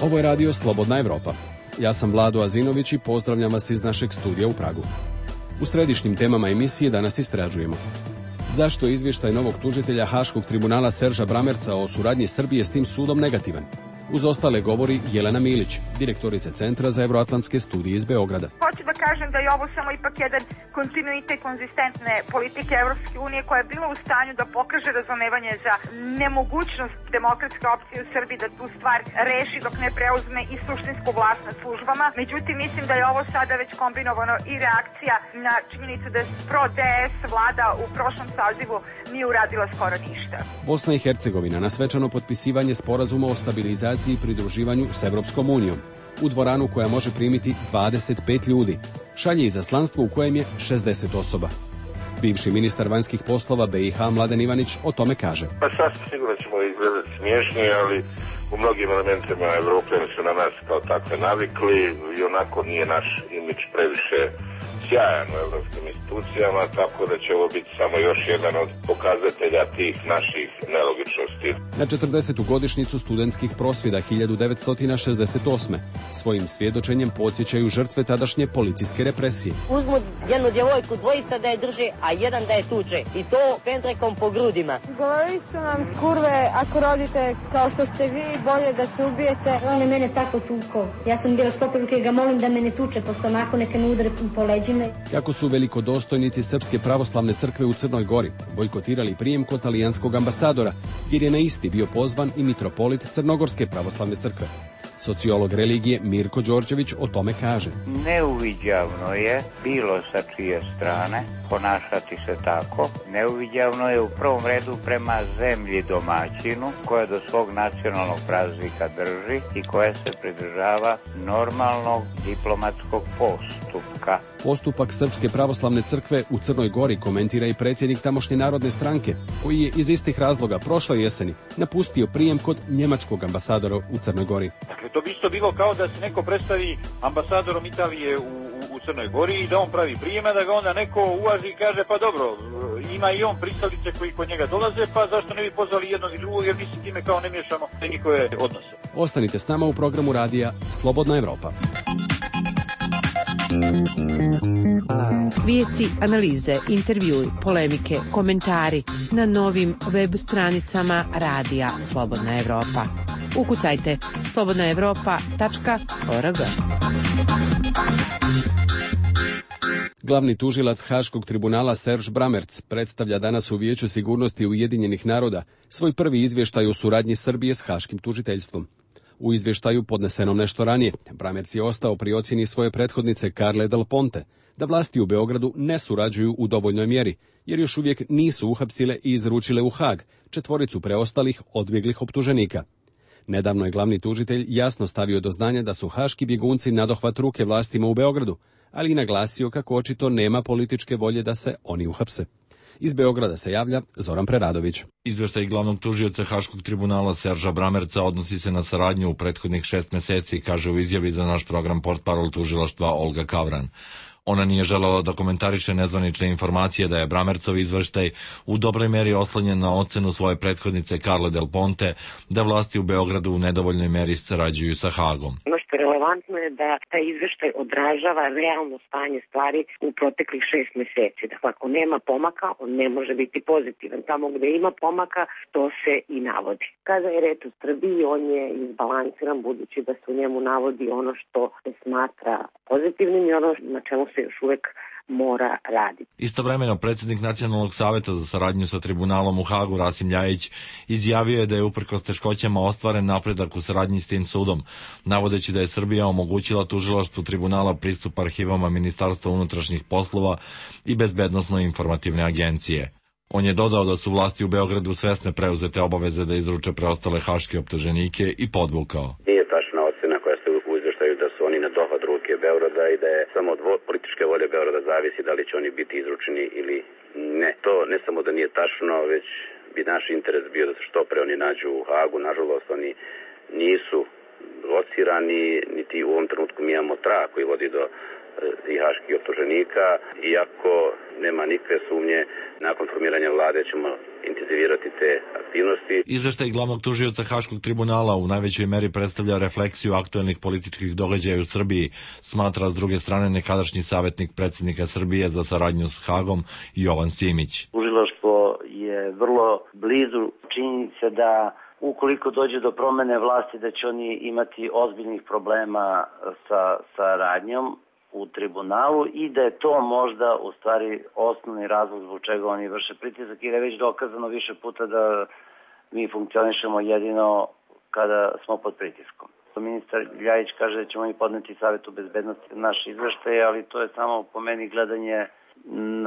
Ovo je radio Slobodna Evropa. Ja sam Vlado Azinović i pozdravljam vas iz našeg studija u Pragu. U središnjim temama emisije danas istražujemo: zašto je izvještaj novog tužitelja Haškog tribunala Serža Bramerca o suradnji Srbije s tim sudom negativan? Uz ostale govori Jelena Milić, direktorica Centra za euroatlantske studije iz Beograda. Hoću da kažem da je ovo samo ipak jedan kontinuitet konzistentne politike Evropske unije koja je bila u stanju da pokaže razumevanje za nemogućnost demokratske opcije u Srbiji da tu stvar reši dok ne preuzme i suštinsku vlast nad službama. Međutim, mislim da je ovo sada već kombinovano i reakcija na činjenicu da pro-DS vlada u prošlom sazivu nije uradila skoro ništa. Bosna i Hercegovina na svečano potpisivanje sporazuma o stabilizaciji i pridruživanju s Evropskom unijom u dvoranu koja može primiti 25 ljudi. Šalje izaslanstvo u kojem je 60 osoba. Bivši ministar vanjskih poslova BiH Mladen Ivanić o tome kaže: Pa sasvim sigurno ćemo izgledati smiješni, ali u mnogim elementima Evropljani su na nas kao takve navikli i onako nije naš imidž previše sjajan u evropskim institucijama, tako da će ovo biti samo još jedan od pokazatelja tih naših nelogičnosti. Na 40. godišnjicu studentskih prosvjeda 1968. svojim svjedočenjem podsjećaju žrtve tadašnje policijske represije. Uzmu jednu djevojku, dvojica da je drže, a jedan da je tuče. I to pendrekom po grudima. Govorili su nam, kurve, ako rodite kao što ste vi, bolje da se ubijete. On je mene tako tukao. Ja sam bila sklopiruke i ga molim da me ne tuče po stomaku, neka me udare po leđima. Kako su velikodostojnici Srpske pravoslavne crkve u Crnoj Gori bojkotirali prijem kod talijanskog ambasadora, jer je na isti bio pozvan i mitropolit Crnogorske pravoslavne crkve. Sociolog religije Mirko Đorđević o tome kaže: neuviđavno je bilo sa čije strane ponašati se tako. Neuviđavno je u prvom redu prema zemlji domaćinu koja do svog nacionalnog praznika drži i koja se pridržava normalnog diplomatskog postupka. Postupak Srpske pravoslavne crkve u Crnoj Gori komentira i predsjednik tamošnje Narodne stranke, koji je iz istih razloga prošle jeseni napustio prijem kod njemačkog ambasadora u Crnoj Gori. Dakle, to bi isto bilo kao da se neko predstavi ambasadorom Italije u Crnoj Gori i da on pravi prijeme, da ga onda neko uvaži i kaže: pa dobro, ima i on pristalice koji kod njega dolaze, pa zašto ne bi pozvali jednog i drugog, jer mi se time kao ne miješamo te njihove odnose. Ostanite s nama u programu radija Slobodna Evropa. Vijesti, analize, intervjui, polemike, komentari na novim web stranicama radija Slobodna Evropa. Ukucajte slobodnaevropa.org. Glavni tužilac Haškog tribunala Serž Bramerc predstavlja danas u Vijeću sigurnosti Ujedinjenih naroda svoj prvi izvještaj o suradnji Srbije s Haškim tužiteljstvom. U izvještaju podnesenom nešto ranije, Bramerc je ostao pri ocjeni svoje prethodnice Carle Del Ponte da vlasti u Beogradu ne surađuju u dovoljnoj mjeri, jer još uvijek nisu uhapsile i izručile u Haag četvoricu preostalih odbjeglih optuženika. Nedavno je glavni tužitelj jasno stavio do znanja da su haški bjegunci nadohvat ruke vlastima u Beogradu, ali i naglasio kako očito nema političke volje da se oni uhapse. Iz Beograda se javlja Zoran Preradović. Izvještaj glavnog tužioca Haškog tribunala Serža Bramerca odnosi se na saradnju u prethodnih 6 mjeseci, kaže u izjavi za naš program portparol tužilaštva Olga Kavran. Ona nije želela da komentariše nezvanične informacije da je Bramercov izveštaj u dobroj meri oslonjen na ocenu svoje prethodnice Carle Del Ponte da vlasti u Beogradu u nedovoljnoj meri sarađuju sa Hagom. Relevantno je da taj izveštaj odražava realno stanje stvari u proteklih 6 mjeseci. Dakle, ako nema pomaka, on ne može biti pozitivan. Tamo gdje ima pomaka, to se i navodi. Kada je reč o Srbiji, on je izbalansiran budući da se u njemu navodi ono što se smatra pozitivnim i ono na čemu se još uvijek mora raditi. Istovremeno, predsjednik Nacionalnog savjeta za saradnju sa tribunalom u Hagu Rasim Ljajić izjavio je da je uprkos teškoćama ostvaren napredak u saradnji s tim sudom, navodeći da je Srbija omogućila tužilaštvu tribunala pristup arhivama Ministarstva unutrašnjih poslova i Bezbednosno-informativne agencije. On je dodao da su vlasti u Beogradu svesne preuzete obaveze da izruče preostale haške optuženike i podvukao: nije tačna ocena koja se u izvještaju da su oni na dohvat ruke Beograda i da je samo od političke volje Beograda zavisi da li će oni biti izručeni ili ne. To ne samo da nije tačno, već bi naš interes bio da se što pre oni nađu u Hagu. Nažalost, oni nisu locirani, niti u ovom trenutku mi imamo trag koji vodi do i haških optuženika, iako nema nikakve sumnje, nakon formiranja vlade ćemo intenzivirati te aktivnosti. Izveštaj glavnog tužioca Haškog tribunala u najvećoj meri predstavlja refleksiju aktuelnih političkih događaja u Srbiji, smatra s druge strane nekadašnji savjetnik predsjednika Srbije za saradnju s Hagom Jovan Simić. Tužilaštvo je vrlo blizu činjenice da ukoliko dođe do promene vlasti da će oni imati ozbiljnih problema sa saradnjom u tribunalu i da je to možda u stvari osnovni razlog zbog čega oni vrše pritisak, jer je već dokazano više puta da mi funkcionišemo jedino kada smo pod pritiskom. Ministar Ljajić kaže da ćemo mi podneti Savetu bezbednosti naš izveštaj, ali to je samo po meni gledanje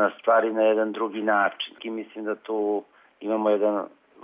na stvari na jedan drugi način. I mislim da tu imamo jedan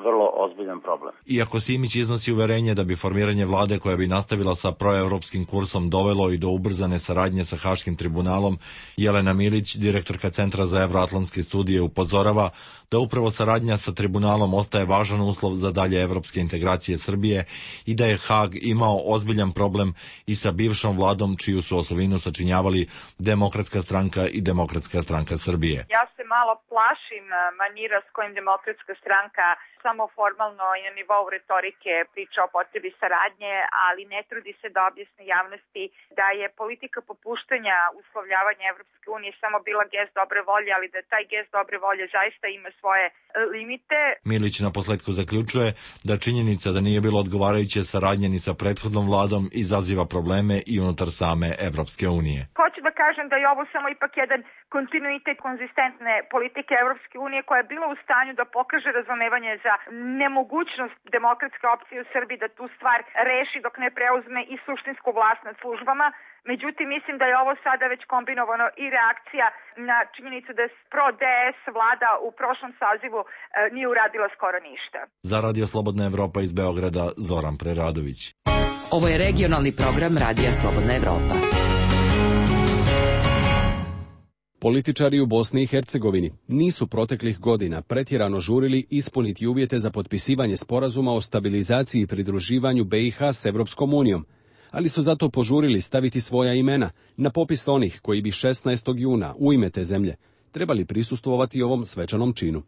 vrlo ozbiljan problem. Iako Simić iznosi uverenje da bi formiranje vlade koja bi nastavila sa proevropskim kursom dovelo i do ubrzane saradnje sa Haškim tribunalom, Jelena Milić, direktorka Centra za evroatlantske studije, upozorava da upravo saradnja sa tribunalom ostaje važan uslov za dalje evropske integracije Srbije i da je Hag imao ozbiljan problem i sa bivšom vladom čiju su osovinu sačinjavali Demokratska stranka i Demokratska stranka Srbije. Ja se malo plašim manira s kojim Demokratska stranka samo formalno i na nivou retorike priča o potrebi saradnje, ali ne trudi se da objasni javnosti da je politika popuštanja uslovljavanja Evropske unije samo bila gest dobre volje, ali da taj gest dobre volje zaista ima svoje limite. Milić na posledku zaključuje da činjenica da nije bilo odgovarajuće saradnje ni sa prethodnom vladom izaziva probleme i unutar same Evropske unije. Hoću da kažem da je ovo samo ipak jedan kontinuitet konzistentne politike Evropske unije koja je bila u stanju da pokaže razumevanje za nemogućnost demokratske opcije u Srbiji da tu stvar reši dok ne preuzme i suštinsku vlast nad službama. Međutim, mislim da je ovo sada već kombinovano i reakcija na činjenicu da je pro-DS vlada u prošlom sazivu nije uradila skoro ništa. Za Radio Slobodna Evropa iz Beograda, Zoran Preradović. Ovo je regionalni program Radija Slobodna Evropa. Političari u Bosni i Hercegovini nisu proteklih godina pretjerano žurili ispuniti uvjete za potpisivanje sporazuma o stabilizaciji i pridruživanju BiH s Evropskom unijom, ali su zato požurili staviti svoja imena na popis onih koji bi 16. juna u ime te zemlje trebali prisustvovati ovom svečanom činu.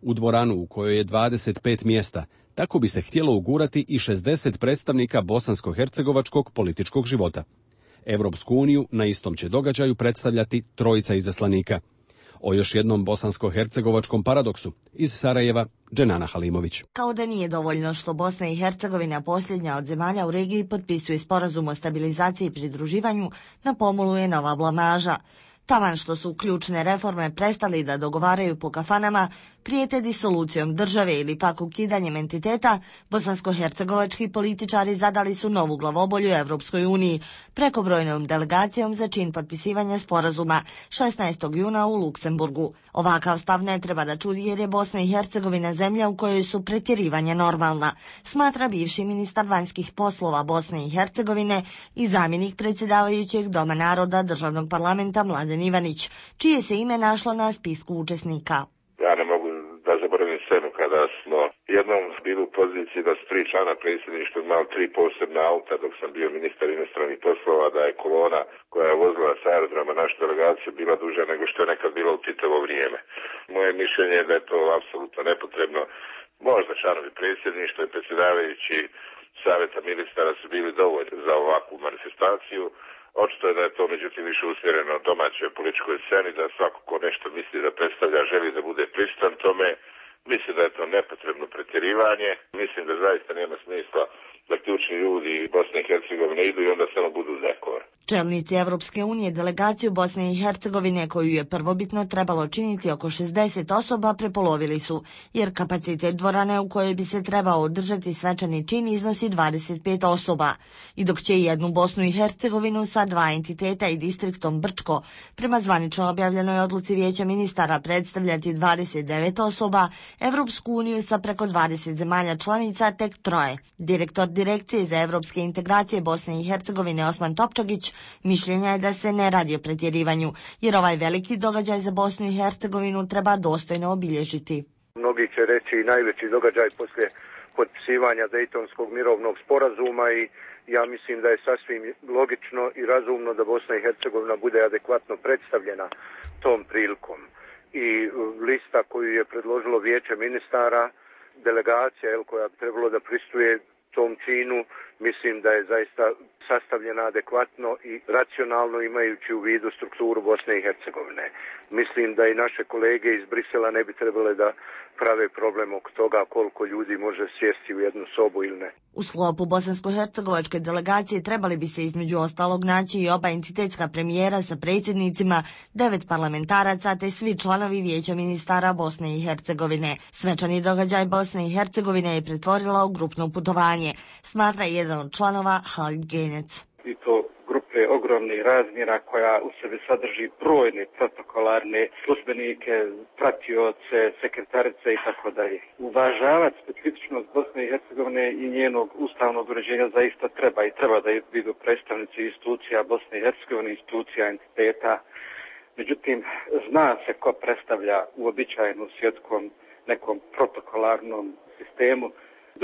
U dvoranu u kojoj je 25 mjesta, tako bi se htjelo ugurati i 60 predstavnika bosansko-hercegovačkog političkog života. Evropsku uniju na istom će događaju predstavljati trojica izaslanika. O još jednom bosansko-hercegovačkom paradoksu iz Sarajeva, Dženana Halimović. Kao da nije dovoljno što Bosna i Hercegovina, posljednja od zemalja u regiji, potpisuje sporazum o stabilizaciji i pridruživanju, na pomolu je nova blamaža. Taman što su ključne reforme prestali da dogovaraju po kafanama, prijete disolucijom države ili pak ukidanjem entiteta, bosansko-hercegovački političari zadali su novu glavobolju Evropskoj uniji prekobrojnom delegacijom za čin potpisivanja sporazuma 16. juna u Luksemburgu. Ovakav stav ne treba da čudi jer je Bosna i Hercegovina zemlja u kojoj su pretjerivanja normalna, smatra bivši ministar vanjskih poslova Bosne i Hercegovine i zamjenik predsjedavajućeg Doma naroda državnog parlamenta Mladen Ivanić, čije se ime našlo na spisku učesnika. Ja ne mogu da zaboravim scenu kada smo jednom bili u poziciji da su 3 člana predsjedništva imali 3 posebna auta dok sam bio ministar inostranih poslova, da je kolona koja je vozila sa aerodroma našu delegaciju bila duža nego što je nekad bilo u Titovo vrijeme. Moje mišljenje je da je to apsolutno nepotrebno. Možda članovi predsjedništva i predsjedavajući savjeta ministara su bili dovoljni za ovakvu manifestaciju. Očito je da je to međutim više usmjereno domaćoj političkoj sceni, da svako ko nešto misli da predstavlja želi da bude prisutan tome. Mislim da je to nepotrebno pretjerivanje. Mislim da zaista nema smisla da ključni ljudi Bosne i Hercegovine idu i onda samo budu dekor. Čelnici Evropske unije delegaciju Bosne i Hercegovine, koju je prvobitno trebalo činiti oko 60 osoba, prepolovili su, jer kapacitet dvorane u kojoj bi se trebao održati svečani čin iznosi 25 osoba. I dok će jednu Bosnu i Hercegovinu sa 2 entiteta i distriktom Brčko prema zvanično objavljenoj odluci Vijeća ministara predstavljati 29 osoba, Evropsku uniju sa preko 20 zemalja članica tek 3. Direktor Direkcije za evropske integracije Bosne i Hercegovine Osman Topčagić mišljenja je da se ne radi o pretjerivanju, jer ovaj veliki događaj za Bosnu i Hercegovinu treba dostojno obilježiti. Mnogi će reći najveći događaj poslije potpisivanja Dejtonskog mirovnog sporazuma i Ja mislim da je sasvim logično i razumno da Bosna i Hercegovina bude adekvatno predstavljena tom prilikom. I lista koju je predložilo Vijeće ministara, delegacija koja bi trebalo da pristuje tom činu, mislim da je zaista sastavljena adekvatno i racionalno imajući u vidu strukturu Bosne i Hercegovine. Mislim da i naše kolege iz Brisela ne bi trebale da prave problem oko toga koliko ljudi može sjesti u jednu sobu ili ne. U sklopu bosansko-hercegovačke delegacije trebali bi se između ostalog naći i oba entitetska premijera sa predsjednicima, 9 parlamentaraca te svi članovi Vijeća ministara Bosne i Hercegovine. Svečani događaj Bosne i Hercegovine je pretvorila u grupno putovanje, smatra jedan od članova Halid Genec. I to grupe ogromnih razmjera koja u sebi sadrži brojne protokolarne službenike, pratioce, sekretarice i tako dalje. Uvažavati specifičnost Bosne i Hercegovine i njenog ustavnog uređenja zaista treba i treba da budu predstavnici institucija Bosne i Hercegovine, institucija entiteta. Međutim, zna se ko predstavlja uobičajenu svjetskom nekom protokolarnom sistemu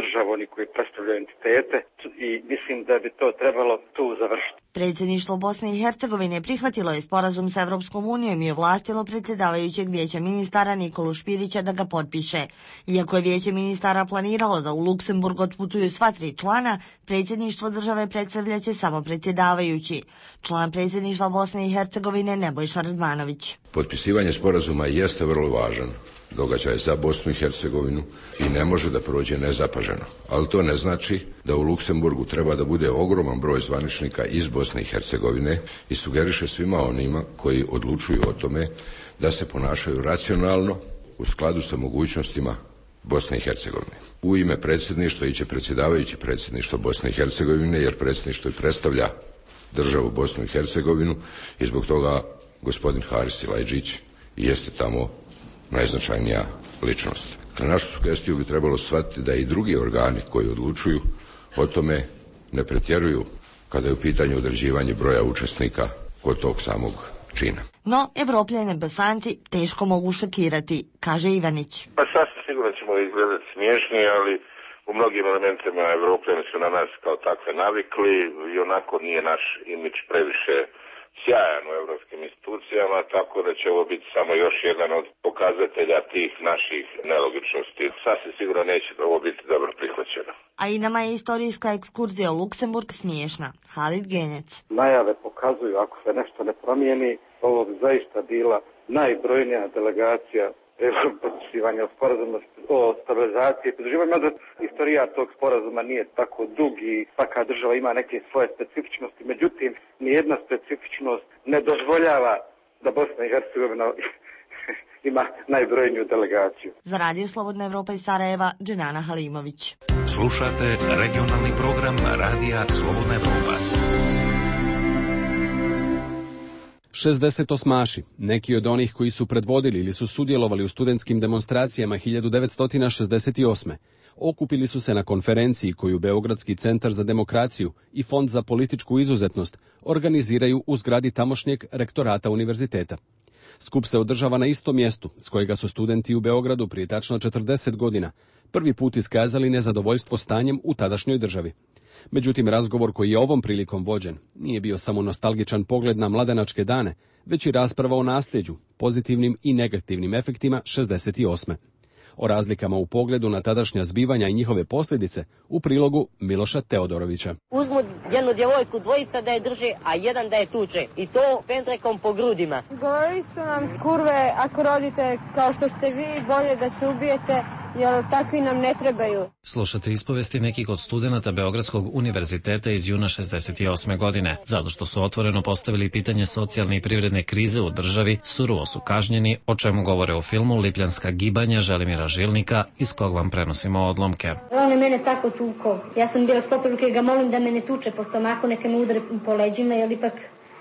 državu, oni koji predstavljaju entitete, i mislim da bi to trebalo tu završiti. Predsjedništvo Bosne i Hercegovine prihvatilo je sporazum sa Evropskom unijom i ovlastilo predsjedavajućeg Vijeća ministara Nikolu Špirića da ga potpiše. Iako je Vijeće ministara planiralo da u Luksemburg otputuju sva 3 člana, predsjedništvo države predstavljaće samo predsjedavajući. Član predsjedništva Bosne i Hercegovine Nebojša Radmanović. Potpisivanje sporazuma jeste vrlo važan događaj za Bosnu i Hercegovinu i ne može da prođe nezapaženo. Ali to ne znači da u Luksemburgu treba da bude ogroman broj zvaničnika iz Bosne i Hercegovine i sugeriše svima onima koji odlučuju o tome da se ponašaju racionalno u skladu sa mogućnostima Bosne i Hercegovine. U ime predsjedništva iće predsjedavajući predsjedništva Bosne i Hercegovine, jer predsjedništvo i predstavlja državu Bosnu i Hercegovinu i zbog toga gospodin Haris Silajdžić jeste tamo najznačajnija ličnost. Na našu sugestiju bi trebalo shvatiti da i drugi organi koji odlučuju o tome ne pretjeruju kada je u pitanju određivanje broja učesnika kod tog samog čina. No, Evropljane Bosanci teško mogu šokirati, kaže Ivanić. Pa sasvim sigurno ćemo izgledati smiješni, ali u mnogim elementima Evropljani su na nas kao takve navikli i onako nije naš imidž previše sjajan u evropskim institucijama, tako da će ovo biti samo još jedan od pokazatelja tih naših nelogičnosti. Sasvim sigurno neće ovo biti dobro prihvaćeno. A i nama je istorijska ekskurzija u Luksemburg smiješna. Halid Genec. Najave pokazuju, ako se nešto ne promijeni, ovo bi zaista bila najbrojnija delegacija potpisivanja sporazuma o stabilizaciji i pridruživanju, mada istorija tog sporazuma nije tako dug i svaka država ima neke svoje specifičnosti, međutim, nijedna specifičnost ne dozvoljava da Bosna i Hercegovina ima najbrojniju delegaciju. Za Radio Slobodna Evropa iz Sarajeva, Dženana Halimović. Slušate regionalni program Radija Slobodna Evropa. 68-aši, neki od onih koji su predvodili ili su sudjelovali u studentskim demonstracijama 1968. okupili su se na konferenciji koju Beogradski centar za demokraciju i Fond za političku izuzetnost organiziraju u zgradi tamošnjeg rektorata univerziteta. Skup se održava na istom mjestu s kojega su studenti u Beogradu prije tačno 40 godina prvi put iskazali nezadovoljstvo stanjem u tadašnjoj državi. Međutim, razgovor koji je ovom prilikom vođen nije bio samo nostalgičan pogled na mladenačke dane, već i rasprava o nasljeđu, pozitivnim i negativnim efektima 68. O razlikama u pogledu na tadašnja zbivanja i njihove posljedice u prilogu Miloša Teodorovića. Uzmu jednu djevojku, dvojica da je drži, a jedan da je tuče. I to pendrekom po grudima. Govorili su nam, kurve, ako rodite kao što ste vi, bolje da se ubijete, jer takvi nam ne trebaju. Slušate ispovesti nekih od studenata Beogradskog univerziteta iz juna 68. godine. Zato što su otvoreno postavili pitanje socijalne i privredne krize u državi, surovo su kažnjeni, o čemu govore u filmu Lipljanska gibanja Želimira Žilnika, iz kog vam prenosimo odlomke. On je mene tako tukao. Ja sam bila sklopila ruke i ga molim da me ne tuče po stomaku, neka me udare po leđima, jer ipak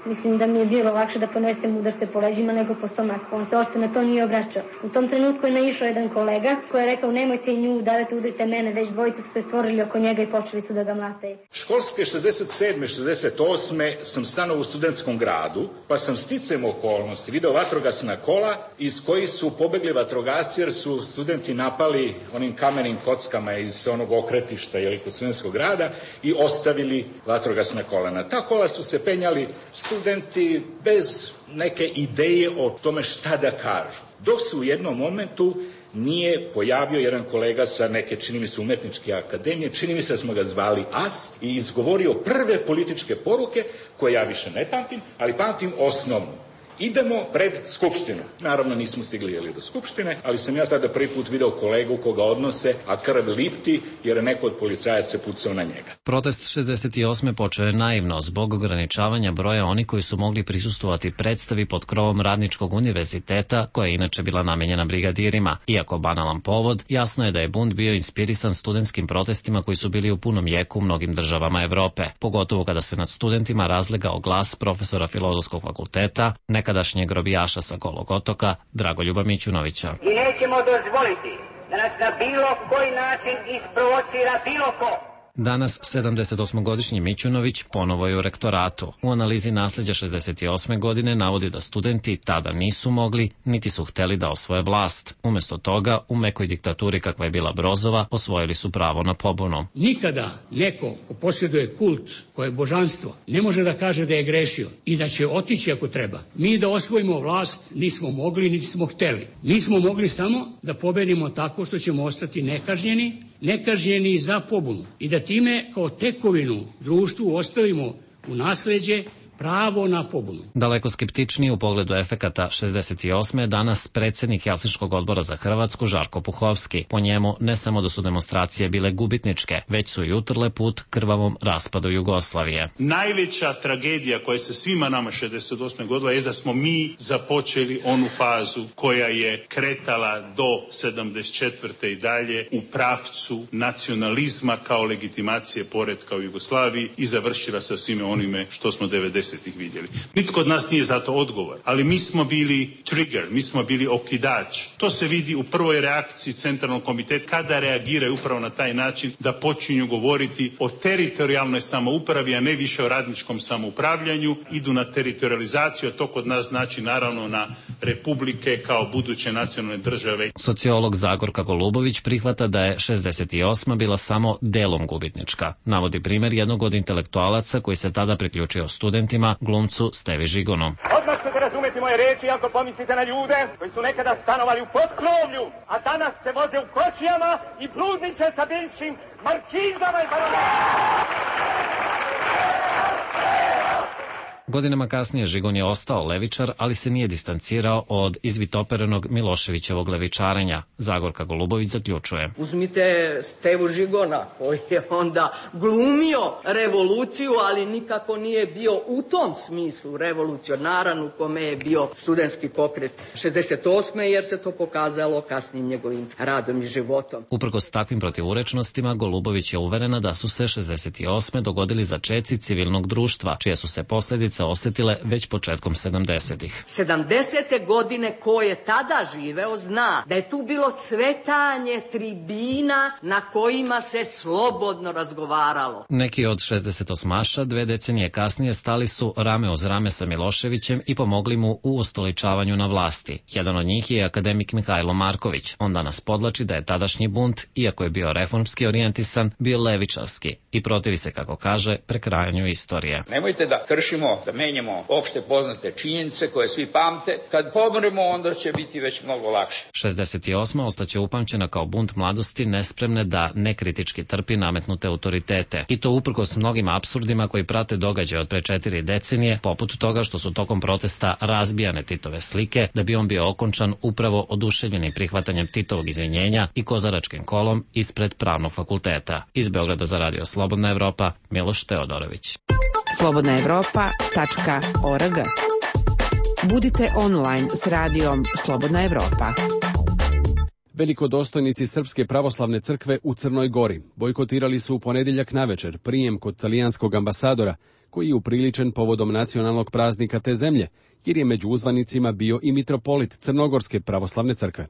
Mislim da mi je bilo lakše da ponesem udarce po leđima nego po stomaku. On se ošte na to nije obraćao. U tom trenutku je naišao jedan kolega koji je rekao nemojte nju udarati, udrite mene, već dvojice su se stvorili oko njega i počeli su da ga mlate. Školske 67. 68. sam stanovao u Studentskom gradu, pa sam sticajem okolnosti video vatrogasna kola iz kojih su pobegli vatrogasci jer su studenti napali onim kamenim kockama iz onog okretišta kod Studentskog grada i ostavili vatrogasna kola. Na ta kola su se penjali studenti bez neke ideje o tome šta da kažu. Dok se u jednom momentu nije pojavio jedan kolega sa neke, čini mi se, umetničke akademije, čini mi se da smo ga zvali As, i izgovorio prve političke poruke koje ja više ne pamtim, ali pamtim osnovnu. Idemo pred Skupštinu. Naravno nismo stigli do Skupštine, ali sam ja tada prvi put video kolegu koga odnose, a krv lipti jer je neko od policajaca pucao na njega. Protest 68. počeo je naivno zbog ograničavanja broja onih koji su mogli prisustvovati predstavi pod krovom Radničkog univerziteta, koja je inače bila namenjena brigadirima. Iako banalan povod, jasno je da je bunt bio inspirisan studentskim protestima koji su bili u punom jeku u mnogim državama Evrope, pogotovo kada se nad studentima razlegao glas profesora Filozofskog fakulteta, nekadašnjeg robijaša sa Golog otoka, Dragoljuba Mićunovića. I nećemo dozvoliti da nas na bilo koji način isprovocira bilo ko. Danas 78-godišnji Mićunović ponovo je u rektoratu. U analizi nasleđa 68. godine navodi da studenti tada nisu mogli, niti su hteli da osvoje vlast. Umesto toga, u mekoj diktaturi kakva je bila Brozova, osvojili su pravo na pobunu. Nikada neko ko posjeduje kult, koje je božanstvo, ne može da kaže da je grešio i da će otići ako treba. Mi da osvojimo vlast nismo mogli, niti smo hteli. Nismo mogli samo da pobedimo tako što ćemo ostati nekažnjeni za pobunu i da time kao tekovinu društvu ostavimo u nasleđe pravo na pobunu. Daleko skeptičniji u pogledu efekata 68. je danas predsjednik Helsinškog odbora za Hrvatsku Žarko Puhovski. Po njemu ne samo da su demonstracije bile gubitničke, već su i utrle put krvavom raspadu Jugoslavije. Najveća tragedija koja se svima nama 68. godila je da smo mi započeli onu fazu koja je kretala do 74. i dalje u pravcu nacionalizma kao legitimacije poretka u Jugoslaviji i završila sa svime onime što smo 90. vidjeli. Nitko od nas nije za to odgovor, ali mi smo bili trigger, mi smo bili okidač. To se vidi u prvoj reakciji Centralnog komiteta kada reagiraju upravo na taj način da počinju govoriti o teritorijalnoj samoupravi, a ne više o radničkom samoupravljanju, idu na teritorializaciju, a to kod nas znači naravno na republike kao buduće nacionalne države. Sociolog Zagorka Golubović prihvata da je 68. bila samo delom gubitnička. Navodi primjer jednog od intelektualaca koji se tada priključio studentima, glumcu Stevi Žigonu. Odmah ćete razumeti moje reči ako pomislite na ljude koji su nekada stanovali u potkrovlju, a danas se voze u kočijama i bludniče sa bivšim markizama i baronima. Godinama kasnije Žigon je ostao levičar, ali se nije distancirao od izvitoperenog Miloševićevog levičarenja. Zagorka Golubović zaključuje. Uzmite Stevu Žigona koji je onda glumio revoluciju, ali nikako nije bio u tom smislu revolucionaran u kome je bio studentski pokret 68. jer se to pokazalo kasnijim njegovim radom i životom. Uprkos takvim protivurečnostima, Golubović je uverena da su se 68. dogodili začeci civilnog društva, čije su se posljedice osetile već početkom 70-ih. 70. godine ko je tada živeo zna da je tu bilo cvetanje tribina na kojima se slobodno razgovaralo. Neki od 68-aša 2 decenije kasnije stali su rame uz rame sa Miloševićem i pomogli mu u ustoličavanju na vlasti. Jedan od njih je akademik Mihajlo Marković. On danas podlači da je tadašnji bunt, iako je bio reformski orijentisan, bio levičarski i protivi se, kako kaže, prekrajanju istorije. Nemojte da kršimo, da menjamo opšte poznate činjenice koje svi pamte. Kad pomremo, onda će biti već mnogo lakše. 68. ostaće upamćena kao bunt mladosti nespremne da nekritički trpi nametnute autoritete. I to uprkos mnogim apsurdima koji prate događaje od pre 4 decenije, poput toga što su tokom protesta razbijane Titove slike, da bi on bio okončan upravo oduševljeni prihvatanjem Titovog izvinjenja i kozaračkim kolom ispred Pravnog fakulteta. Iz Beograda za Radio Slobodna Evropa, Miloš Teodorović. slobodnaevropa.org. Budite online s radijom Slobodna Evropa. Velikodostojnici Srpske pravoslavne crkve u Crnoj Gori bojkotirali su u ponedjeljak navečer prijem kod talijanskog ambasadora, koji je upriličen povodom nacionalnog praznika te zemlje, jer je među uzvanicima bio i mitropolit Crnogorske pravoslavne crkve.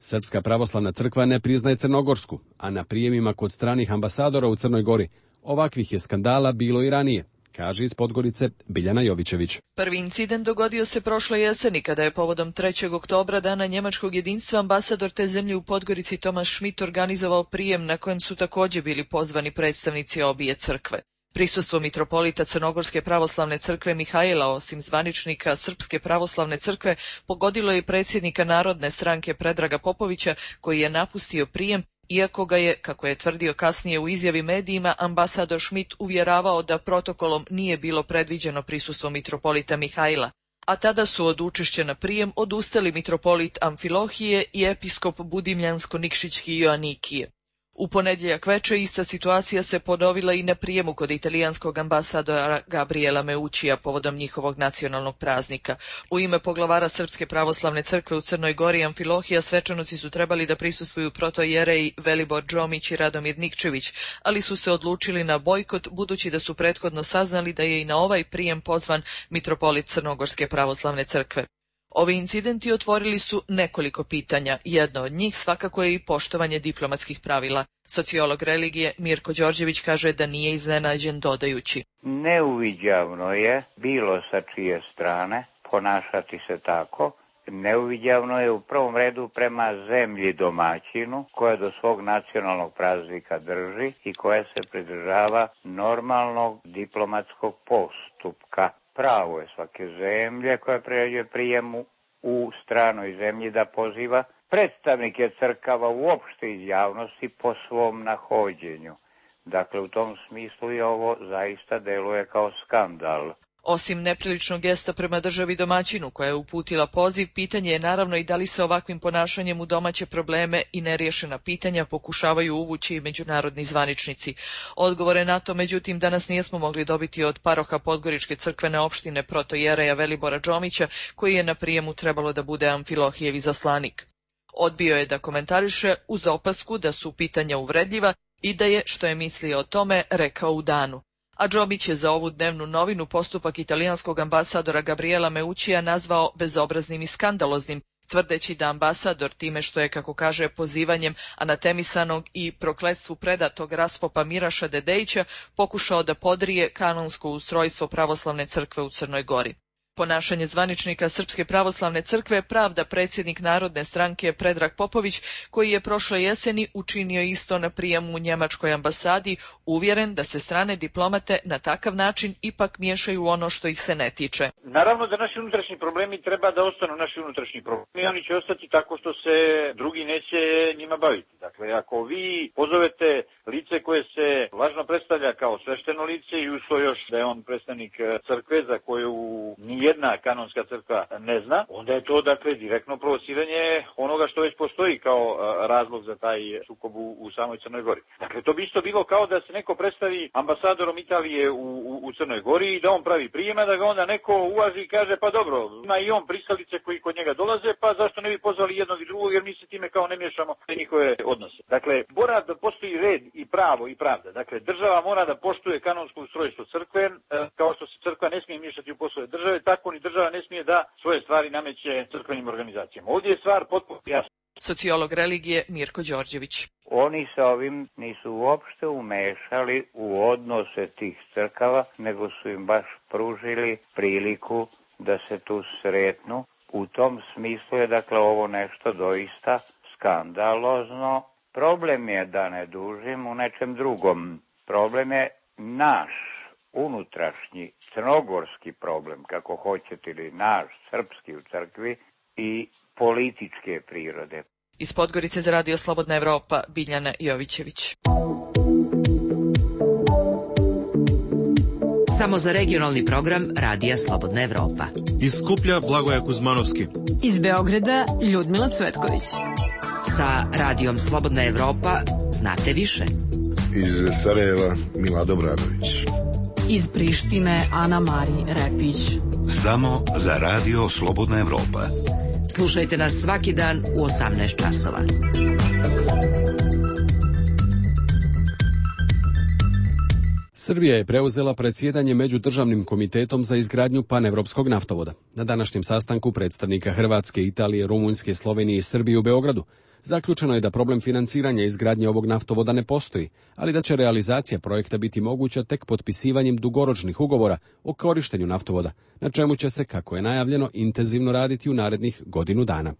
Srpska pravoslavna crkva ne priznaje Crnogorsku, a na prijemima kod stranih ambasadora u Crnoj Gori ovakvih je skandala bilo i ranije, kaže iz Podgorice Biljana Jovićević. Prvi incident dogodio se prošle jeseni kada je povodom 3. oktobra, dana njemačkog jedinstva, ambasador te zemlje u Podgorici Tomas Schmidt organizovao prijem na kojem su također bili pozvani predstavnici obje crkve. Prisustvo mitropolita Crnogorske pravoslavne crkve Mihajla, osim zvaničnika Srpske pravoslavne crkve, pogodilo je predsjednika Narodne stranke Predraga Popovića, koji je napustio prijem, iako ga je, kako je tvrdio kasnije u izjavi medijima, ambasador Schmidt uvjeravao da protokolom nije bilo predviđeno prisustvo mitropolita Mihajla. A tada su od učešća na prijem odustali mitropolit Amfilohije i episkop Budimljansko-Nikšićki Joanikije. U ponedjeljak večer ista situacija se ponovila i na prijemu kod italijanskog ambasadora Gabriela Meuccija povodom njihovog nacionalnog praznika. U ime poglavara Srpske pravoslavne crkve u Crnoj Gori Amfilohija svečanosti su trebali da prisustvuju protojereji Velibor Džomić i Radomir Nikčević, ali su se odlučili na bojkot budući da su prethodno saznali da je i na ovaj prijem pozvan mitropolit Crnogorske pravoslavne crkve. Ovi incidenti otvorili su nekoliko pitanja. Jedno od njih svakako je i poštovanje diplomatskih pravila. Sociolog religije Mirko Đorđević kaže da nije iznenađen, dodajući: Neuviđavno je bilo sa čije strane ponašati se tako. Neuviđavno je u prvom redu prema zemlji domaćinu, koja do svog nacionalnog praznika drži i koja se pridržava normalnog diplomatskog postupka. Pravo je svake zemlje koja priređuje prijemu u stranoj zemlji da poziva predstavnike crkava uopšte iz javnosti po svom nahođenju. Dakle, u tom smislu i ovo zaista deluje kao skandal. Osim nepriličnog gesta prema državi domaćinu koja je uputila poziv, pitanje je naravno i da li se ovakvim ponašanjem u domaće probleme i neriješena pitanja pokušavaju uvući i međunarodni zvaničnici. Odgovore na to, međutim, danas nismo mogli dobiti od paroha Podgoričke crkvene opštine protojereja Velibora Džomića, koji je na prijemu trebalo da bude Amfilohijev izaslanik. Odbio je da komentariše uz opasku da su pitanja uvredljiva i da je, što je mislio o tome, rekao u danu. A Džomić je za ovu dnevnu novinu postupak italijanskog ambasadora Gabriela Meuccija nazvao bezobraznim i skandaloznim, tvrdeći da ambasador time što je, kako kaže, pozivanjem anatemisanog i prokletstvu predatog raspopa Miraša Dedejića pokušao da podrije kanonsko ustrojstvo pravoslavne crkve u Crnoj Gori. Ponašanje zvaničnika Srpske pravoslavne crkve pravda predsjednik Narodne stranke Predrag Popović, koji je prošle jeseni učinio isto na prijemu u njemačkoj ambasadi, uvjeren da se strane diplomate na takav način ipak miješaju u ono što ih se ne tiče. Naravno da naši unutrašnji problemi treba da ostanu naši unutrašnji problemi, oni će ostati tako što se drugi neće njima baviti. Dakle, ako vi pozovete lice koje se lažno predstavlja kao svešteno lice i uz to još da je on predstavnik crkve za koju nijedna kanonska crkva ne zna, onda je to, dakle, direktno provociranje onoga što već postoji kao razlog za taj sukob u samoj Crnoj Gori. Dakle, to bi isto bilo kao da se neko predstavi ambasadorom Italije u Crnoj Gori i da on pravi prijema, da ga onda neko uvaži i kaže pa dobro, ima i on pristalice koji kod njega dolaze, pa zašto ne bi pozvali jednog i drugog, jer mi se time kao ne miješamo u njihove odnose. Dakle, mora da postoji red i pravo i pravda. Dakle, država mora da poštuje kanonsko ustrojstvo crkve, kao što se crkva ne smije miješati u poslove države, tako ni država ne smije da svoje stvari nameće crkvenim organizacijama. Ovdje je stvar potpuno jasna. Sociolog religije Mirko Đorđević. Oni sa ovim nisu uopšte umešali u odnose tih crkava, nego su im baš pružili priliku da se tu sretnu. U tom smislu je, dakle, ovo nešto doista skandalozno. Problem je, da ne dužim, u nečem drugom. Problem je naš unutrašnji crnogorski problem, kako hoćete, ili naš srpski u crkvi, i političke prirode. Iz Podgorice za Radio Slobodna Evropa, Biljana Jovićević. Samo za regionalni program Radija Slobodna Evropa. Iz Skuplja Blagoja Kuzmanovski. Iz Beograda Ljudmila Cvetković. Sa Radijom Slobodna Evropa znate više. Iz Sarajeva Milado Obradović. Iz Prištine Ana Mari Repić. Samo za Radio Slobodna Evropa. Slušajte nas svaki dan u 18 časova. Srbija je preuzela predsjedanje Međudržavnim komitetom za izgradnju panevropskog naftovoda. Na današnjem sastanku predstavnika Hrvatske, Italije, Rumunjske, Slovenije i Srbije u Beogradu zaključeno je da problem financiranja izgradnje ovog naftovoda ne postoji, ali da će realizacija projekta biti moguća tek potpisivanjem dugoročnih ugovora o korištenju naftovoda, na čemu će se, kako je najavljeno, intenzivno raditi u narednih godinu dana.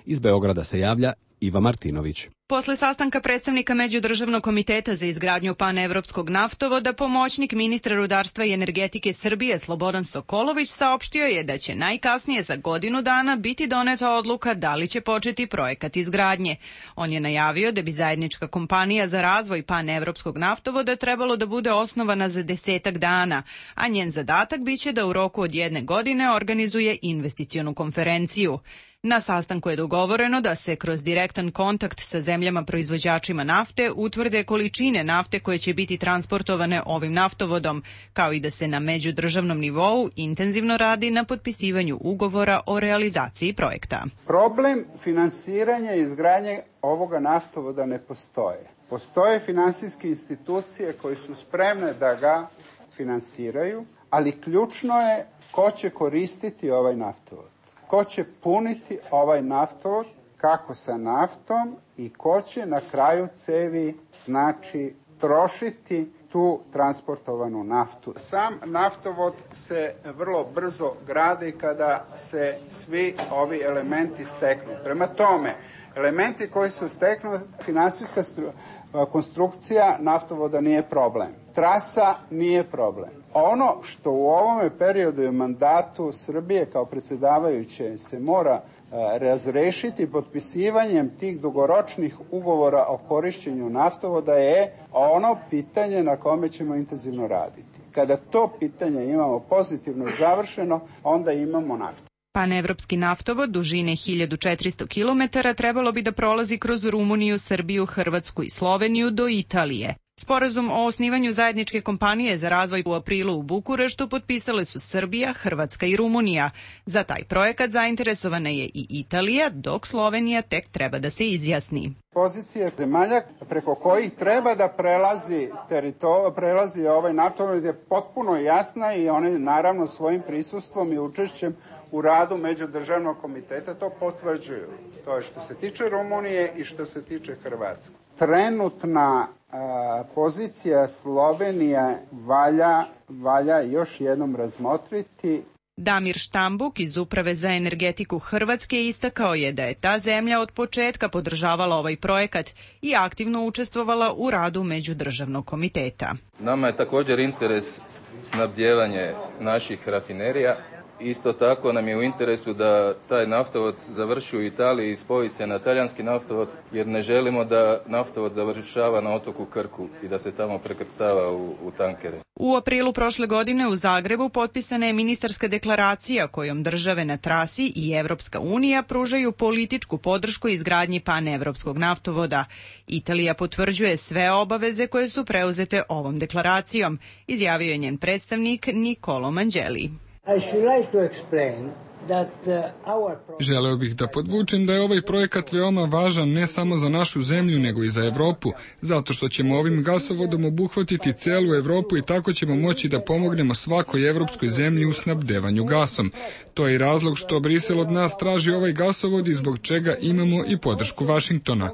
Iz Beograda se javlja Iva Martinović. Posle sastanka predstavnika Međudržavnog komiteta za izgradnju panevropskog naftovoda, pomoćnik ministra rudarstva i energetike Srbije Slobodan Sokolović saopštio je da će najkasnije za godinu dana biti doneta odluka da li će početi projekat izgradnje. On je najavio da bi zajednička kompanija za razvoj panevropskog naftovoda trebalo da bude osnovana za 10 dana, a njen zadatak biće da u roku od 1 godine organizuje investicionu konferenciju. Na sastanku je dogovoreno da se kroz direktan kontakt sa zemljama proizvođačima nafte utvrde količine nafte koje će biti transportovane ovim naftovodom, kao i da se na međudržavnom nivou intenzivno radi na potpisivanju ugovora o realizaciji projekta. Problem finansiranja i izgradnje ovoga naftovoda ne postoje. Postoje finansijske institucije koje su spremne da ga finansiraju, ali ključno je ko će koristiti ovaj naftovod. Ko će puniti ovaj naftovod, kako sa naftom i ko će na kraju cevi, znači, trošiti tu transportovanu naftu. Sam naftovod se vrlo brzo gradi kada se svi ovi elementi steknu. Prema tome, elementi koji se steknu, finansijska konstrukcija naftovoda nije problem. Trasa nije problem. Ono što u ovome periodu i mandatu Srbije kao predsjedavajuće se mora razrešiti potpisivanjem tih dugoročnih ugovora o korišćenju naftovoda je ono pitanje na kome ćemo intenzivno raditi. Kada to pitanje imamo pozitivno završeno, onda imamo naftu. Panevropski naftovod dužine 1400 km trebalo bi da prolazi kroz Rumuniju, Srbiju, Hrvatsku i Sloveniju do Italije. Sporazum o osnivanju zajedničke kompanije za razvoj u aprilu u Bukureštu potpisale su Srbija, Hrvatska i Rumunija. Za taj projekat zainteresovana je i Italija, dok Slovenija tek treba da se izjasni. Pozicija zemalja preko kojih treba da prelazi ovaj naftovod je potpuno jasna i one naravno svojim prisustvom i učešćem u radu Međudržavnog komiteta to potvrđuju. To je što se tiče Rumunije i što se tiče Hrvatske. Trenutna pozicija Slovenija valja još jednom razmotriti. Damir Štambuk iz Uprave za energetiku Hrvatske istakao je da je ta zemlja od početka podržavala ovaj projekat i aktivno učestvovala u radu Međudržavnog komiteta. Nama je također interes snabdijevanje naših rafinerija. Isto tako nam je u interesu da taj naftovod završi u Italiji i spoji se na talijanski naftovod, jer ne želimo da naftovod završava na otoku Krku i da se tamo prekrcava u tankere. U aprilu prošle godine u Zagrebu potpisana je ministarska deklaracija kojom države na trasi i Evropska unija pružaju političku podršku izgradnji panevropskog naftovoda. Italija potvrđuje sve obaveze koje su preuzete ovom deklaracijom, izjavio je njen predstavnik Nicolo Mangeli. Želeo bih da podvučem da je ovaj projekat veoma važan ne samo za našu zemlju nego i za Evropu, zato što ćemo ovim gasovodom obuhvatiti celu Evropu i tako ćemo moći da pomognemo svakoj evropskoj zemlji u snabdevanju gasom. To je i razlog što Brisel od nas traži ovaj gasovod i zbog čega imamo i podršku Vašingtona.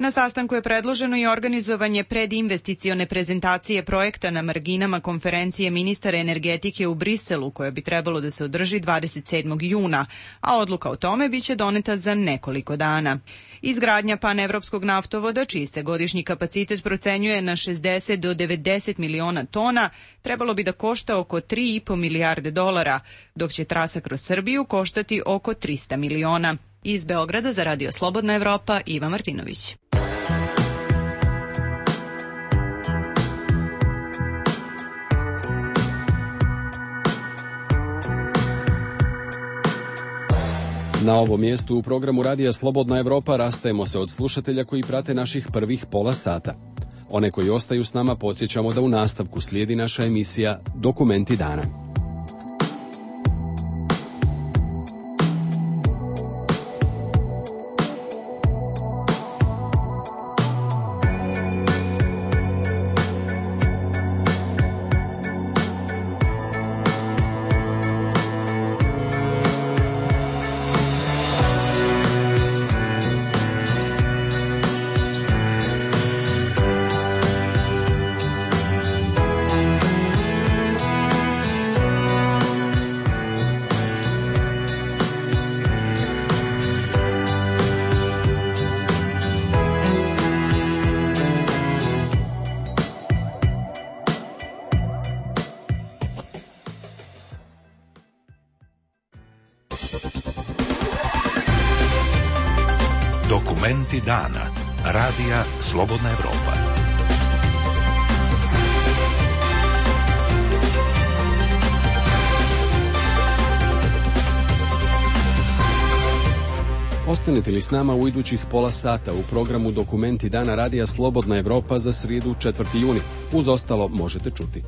Na sastanku je predloženo i organizovanje predinvesticione prezentacije projekta na marginama konferencije ministara energetike u Briselu, koja bi trebalo da se održi 27. juna, a odluka o tome biće doneta za nekoliko dana. Izgradnja panevropskog naftovoda, čiji se godišnji kapacitet procenjuje na 60 do 90 miliona tona, trebalo bi da košta oko 3,5 milijarde dolara, dok će trasa kroz Srbiju koštati oko 300 miliona. Iz Beograda za Radio Slobodna Evropa, Iva Martinović. Na ovom mjestu u programu Radija Slobodna Evropa rastajemo se od slušatelja koji prate naših prvih pola sata. One koji ostaju s nama podsjećamo da u nastavku slijedi naša emisija Dokumenti dana. Dokumenti dana. Radija Slobodna Evropa. Ostanete li s nama u idućih pola sata u programu Dokumenti dana Radija Slobodna Evropa za srijedu 4. juni. Uz ostalo možete čuti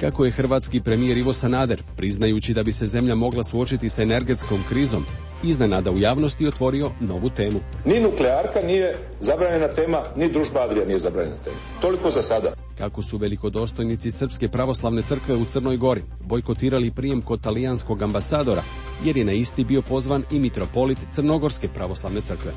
kako je hrvatski premijer Ivo Sanader, priznajući da bi se zemlja mogla suočiti sa energetskom krizom, iznenada u javnosti otvorio novu temu. Ni nuklearka nije zabranjena tema, ni Družba Adrija nije zabranjena tema. Toliko za sada. Kako su velikodostojnici Srpske pravoslavne crkve u Crnoj Gori bojkotirali prijem kod talijanskog ambasadora, jer je na isti bio pozvan i mitropolit Crnogorske pravoslavne crkve.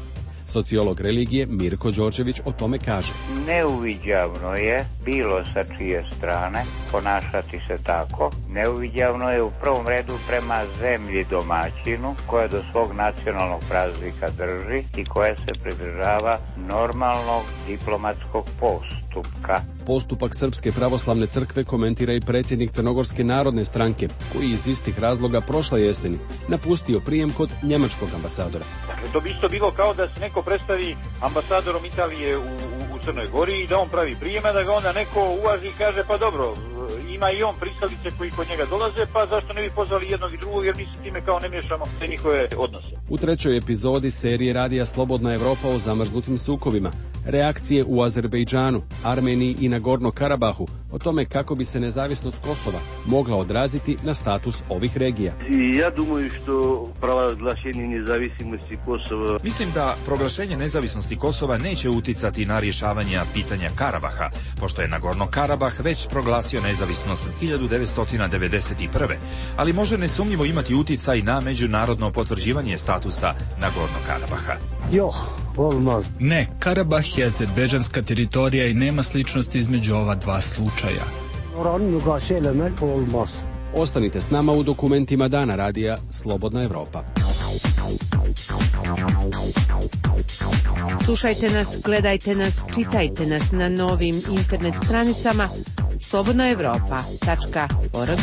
Sociolog religije Mirko Đorđević o tome kaže: Neuviđavno je bilo sa čije strane ponašati se tako. Neuviđavno je u prvom redu prema zemlji domaćinu koja do svog nacionalnog praznika drži i koja se pridržava normalnog diplomatskog postupka. Postupak Srpske pravoslavne crkve komentira i predsjednik Crnogorske narodne stranke, koji iz istih razloga prošle jeseni napustio prijem kod njemačkog ambasadora. Dakle, to bi isto bilo kao da se neko predstavi ambasadorom Italije u Crnoj Gori i da on pravi prijema, da ga onda neko uvaži i kaže pa dobro, ima i on pristalice koji kod njega dolaze, pa zašto ne bi pozvali jednog i drugog, jer mi se time kao ne miješamo te njihove odnose. U 3. epizodi serije Radija Slobodna Evropa o zamrznutim sukobima, reakcije u Azerbejdžanu, Armeniji i Nagorno Karabahu, o tome kako bi se nezavisnost Kosova mogla odraziti na status ovih regija. Ja думаю, što proglašenje nezavisnosti Kosova... Mislim da proglašenje nezavisnosti Kosova neće uticati na rješavanje pitanja Karabaha, pošto je Nagorno Karabah već proglasio nezavisnost 1991. Ali može nesumnjivo imati uticaj na međunarodno potvrđivanje statusa Nagorno Karabaha. Ne, Karabah je azerbejdžanska teritorija i nema sličnosti između ova dva slučaja. Ostanite s nama u Dokumentima dana Radija Slobodna Evropa. Slušajte nas, gledajte nas, čitajte nas na novim internet stranicama slobodnaevropa.org.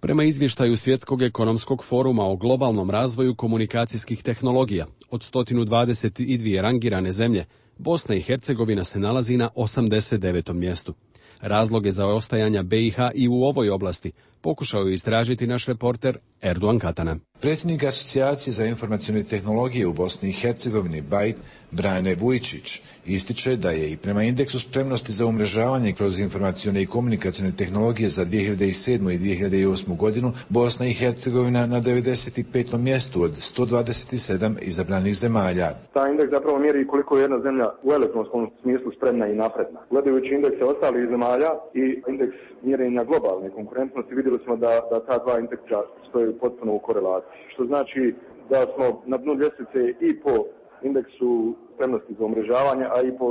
Prema izvještaju Svjetskog ekonomskog foruma o globalnom razvoju komunikacijskih tehnologija, od 122 rangirane zemlje, Bosna i Hercegovina se nalazi na 89. mjestu. Razloge za ostajanja BiH i u ovoj oblasti pokušao je istražiti naš reporter Erdogan Katana. Predsjednik Asocijacije za informacione tehnologije u Bosni i Hercegovini BAIT, Brane Vujčić, ističe da je i prema indeksu spremnosti za umrežavanje kroz informacione i komunikacione tehnologije za 2007. i 2008. godinu Bosna i Hercegovina na 95. mjestu od 127 izabranih zemalja. Taj indeks zapravo mjeri koliko je jedna zemlja u elektronskom smislu spremna i napredna. Gledajući indekse ostalih zemalja i indeks mjerenja globalne konkurentnosti, vidjeli smo da ta dva indeksa stoje potpuno u korelaciji. Što znači da smo na dnu ljestvice i po indeksu spremnosti za umrežavanje, a i po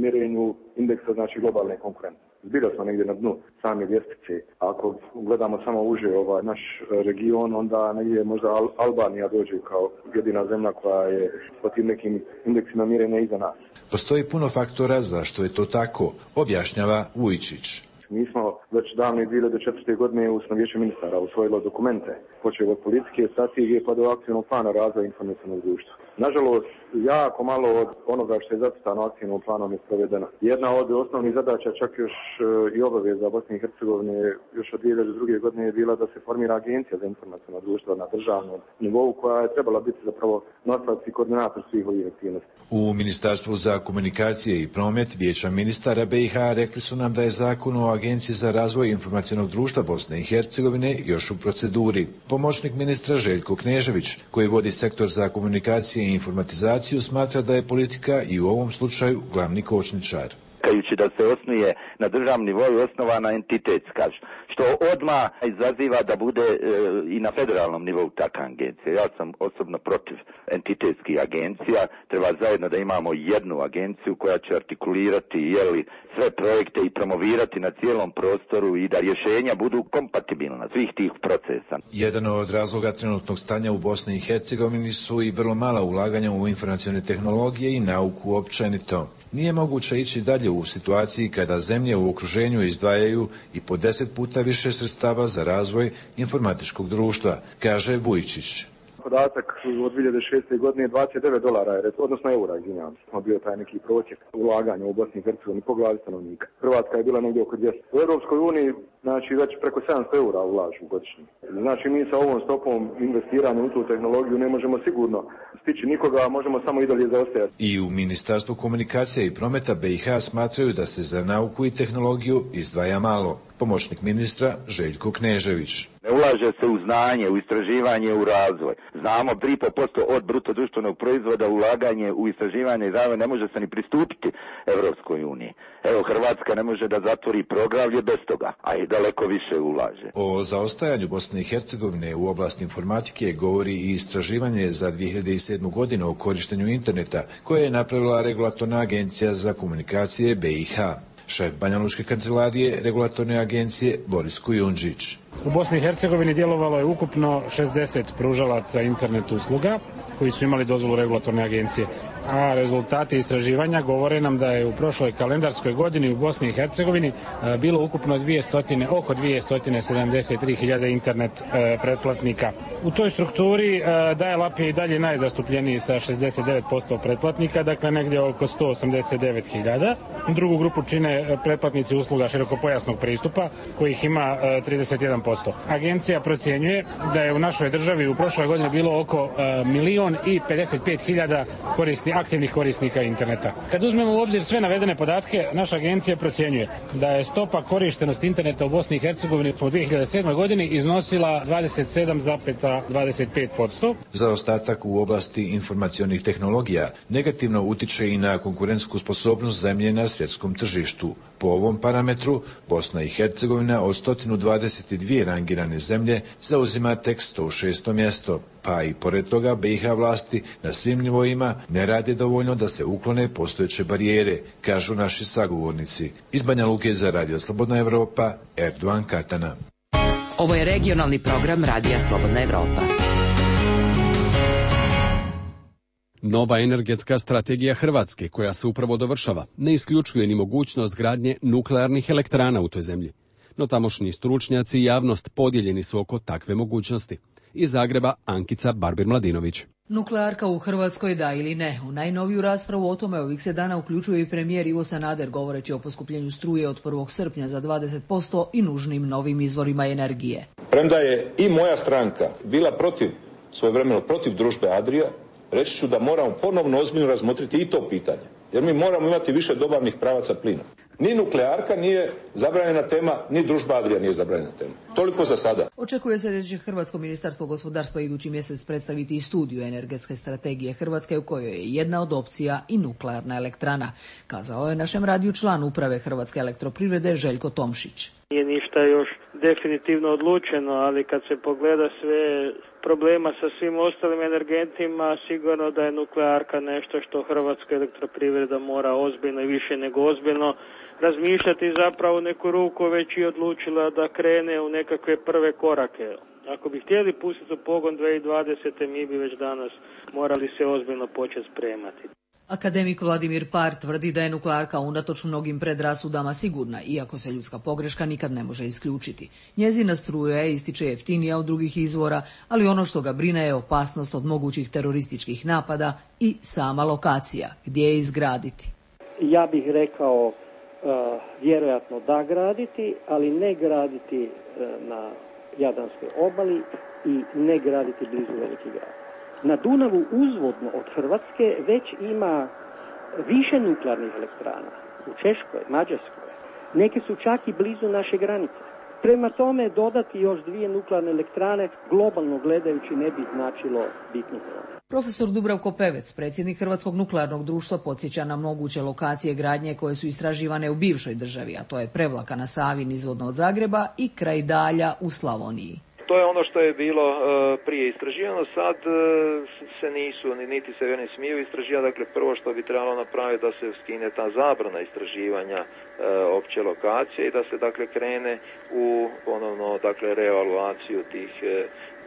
mjerenju indeksa znači globalne konkurentnosti. Zbilja smo negdje na dnu same ljestvice. Ako gledamo samo uže naš region, onda negdje možda Albanija dođe kao jedina zemlja koja je po tim nekim indeksima mjerenja iza nas. Postoji puno faktora zašto je to tako, objašnjava Vujčić. Mi smo već davne 2004. godine u Vijeće ministara usvojilo dokumente, počeo od politike, strategije pa do akcijnog plana razvoja informacionog društva. Nažalost, jako malo od onoga što je zacrtano akcijnom planom je provedeno. Jedna od osnovnih zadaća, čak još i obaveza Bosne i Hercegovine još od 2002. godine je bila da se formira agencija za informaciono društvo na državnom nivou koja je trebala biti zapravo nosilac i koordinator svih ovih aktivnosti. U Ministarstvu za komunikacije i promet Vijeća ministara BiH rekli su nam da je zakon o Agenciji za razvoj informacionog društva Bosne i Hercegovine još u proceduri. Pomoćnik ministra Željko Knežević, koji vodi sektor za komunikacije i informatizaciju, smatra da je politika i u ovom slučaju glavni kočničar. Da se osnuje na državnom nivou osnovana entitetska, što odmah izaziva da bude i na federalnom nivou takva agencija. Ja sam osobno protiv entitetskih agencija, treba zajedno da imamo jednu agenciju koja će artikulirati sve projekte i promovirati na cijelom prostoru i da rješenja budu kompatibilna svih tih procesa. Jedan od razloga trenutnog stanja u Bosni i Hercegovini su i vrlo mala ulaganja u informacione tehnologije i nauku općenito. Nije moguće ići dalje u situaciji kada zemlje u okruženju izdvajaju i po 10 puta više sredstava za razvoj informatičkog društva, kaže Vujčić. Podatak od 2006. godine $29, odnosno eura, izvinjavam se, bio taj neki prosjek ulaganja u Bosni i Hercegovini po glavi stanovnika. Hrvatska je bila negdje oko 200. U Europskoj uniji, znači već preko 700 eura ulažu godišnje. Znači mi sa ovom stopom investiranja u tu tehnologiju ne možemo sigurno stići nikoga, a možemo samo i dalje zaostajati. I u Ministarstvu komunikacije i prometa BiH smatraju da se za nauku i tehnologiju izdvaja malo. Pomoćnik ministra Željko Knežević. Ne ulaže se u znanje, u istraživanje, u razvoj. Znamo 3,5% od bruto društvenog proizvoda ulaganje u istraživanje i razvoj ne može se ni pristupiti Evropskoj uniji. Evo, Hrvatska ne može da zatvori poglavlje bez toga, a i daleko više ulaže. O zaostajanju Bosne i Hercegovine u oblasti informatike govori i istraživanje za 2007. godinu o korištenju interneta koje je napravila Regulatorna agencija za komunikacije BiH. Šef Banjalučke kancelarije Regulatorne agencije Boris Kujundžić. U Bosni i Hercegovini djelovalo je ukupno 60 pružalaca internet usluga koji su imali dozvolu Regulatorne agencije. A rezultati istraživanja govore nam da je u prošloj kalendarskoj godini u Bosni i Hercegovini bilo ukupno oko 273.000 internet pretplatnika. U toj strukturi dial-up je i dalje najzastupljeniji sa 69% pretplatnika, dakle negdje oko 189.000. Drugu grupu čine pretplatnici usluga širokopojasnog pristupa, kojih ima 31%. Agencija procjenjuje da je u našoj državi u prošloj godini bilo oko 1.055.000 aktivnih korisnika interneta. Kad uzmemo u obzir sve navedene podatke, naša agencija procjenjuje da je stopa korištenosti interneta u Bosni i Hercegovini u 2007. godini iznosila 27,25%. Zaostatak u oblasti informacionih tehnologija negativno utiče i na konkurentsku sposobnost zemlje na svjetskom tržištu. Po ovom parametru, Bosna i Hercegovina od 122 rangirane zemlje zauzima tek 106. mjesto, pa i pored toga BiH vlasti na svim nivoima ne rade dovoljno da se uklone postojeće barijere, kažu naši sagovornici. Iz Banja Luke za Radio Slobodna Evropa, Erdogan Katana. Ovo je regionalni program Radija Slobodna Evropa. Nova energetska strategija Hrvatske, koja se upravo dovršava, ne isključuje ni mogućnost gradnje nuklearnih elektrana u toj zemlji. No tamošnji stručnjaci i javnost podijeljeni su oko takve mogućnosti. Iz Zagreba Ankica Barbir-Mladinović. Nuklearka u Hrvatskoj, da ili ne? U najnoviju raspravu o tome ovih se dana uključuje i premijer Ivo Sanader, govoreći o poskupljenju struje od 1. srpnja za 20% i nužnim novim izvorima energije. Premda je i moja stranka bila svojevremeno protiv družbe Adria, reći ću da moramo ponovno ozbiljno razmotriti i to pitanje. Jer mi moramo imati više dobavnih pravaca plina. Ni nuklearka nije zabranjena tema, ni družba Adria nije zabranjena tema. Toliko za sada. Očekuje se da će Hrvatsko ministarstvo gospodarstva idući mjesec predstaviti i studiju energetske strategije Hrvatske u kojoj je jedna od opcija i nuklearna elektrana, kazao je našem radiju član uprave Hrvatske elektroprivrede Željko Tomšić. Nije ništa još definitivno odlučeno, ali kad se pogleda sve problema sa svim ostalim energentima, sigurno da je nuklearka nešto što Hrvatska elektroprivreda mora ozbiljno i više nego ozbiljno razmišljati, zapravo neku ruku već i odlučila da krene u nekakve prve korake. Ako bi htjeli pustiti u pogon 2020. mi bi već danas morali se ozbiljno početi spremati. Akademik Vladimir Par tvrdi da je nuklearka unatoč mnogim predrasudama sigurna, iako se ljudska pogreška nikad ne može isključiti. Njezina struja je, ističe, jeftinija od drugih izvora, ali ono što ga brine je opasnost od mogućih terorističkih napada i sama lokacija, gdje je izgraditi. Ja bih rekao vjerojatno da graditi, ali ne graditi na Jadranskoj obali i ne graditi blizu velikih grada. Na Dunavu uzvodno od Hrvatske već ima više nuklearnih elektrana. U Češkoj, Mađarskoj. Neke su čak i blizu naše granice. Prema tome, dodati još 2 nuklearne elektrane, globalno gledajući, ne bi značilo bitno problem. Profesor Dubravko Pevec, predsjednik Hrvatskog nuklearnog društva, podsjeća na moguće lokacije gradnje koje su istraživane u bivšoj državi, a to je Prevlaka na Savi nizvodno od Zagreba i kraj Dalja u Slavoniji. To je ono što je bilo prije istraživano, sad se nisu, niti se ne smiju istraživati. Dakle, prvo što bi trebalo napraviti da se skine ta zabrana istraživanja opće lokacije i da se dakle krene u ponovno reevaluaciju tih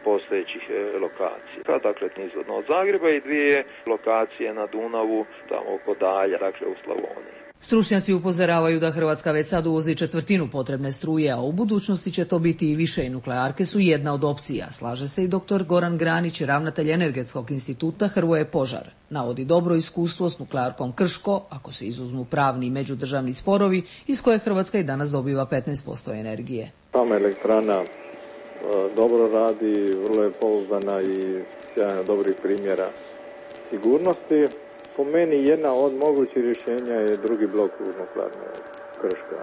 postojećih lokacija. Dakle, nizvodno od Zagreba i 2 lokacije na Dunavu, tamo oko Dalja, dakle u Slavoniji. Stručnjaci upozoravaju da Hrvatska već sad uvozi 1/4 potrebne struje, a u budućnosti će to biti i više i nuklearke su jedna od opcija. Slaže se i dr. Goran Granić, ravnatelj Energetskog instituta Hrvoje Požar. Navodi dobro iskustvo s nuklearkom Krško, ako se izuzmu pravni i međudržavni sporovi, iz koje Hrvatska i danas dobiva 15% energije. Sama elektrana dobro radi, vrlo je pouzdana i sjajno dobrih primjera sigurnosti. Po meni jedna od mogućih rješenja je drugi blok u nuklearne Krško.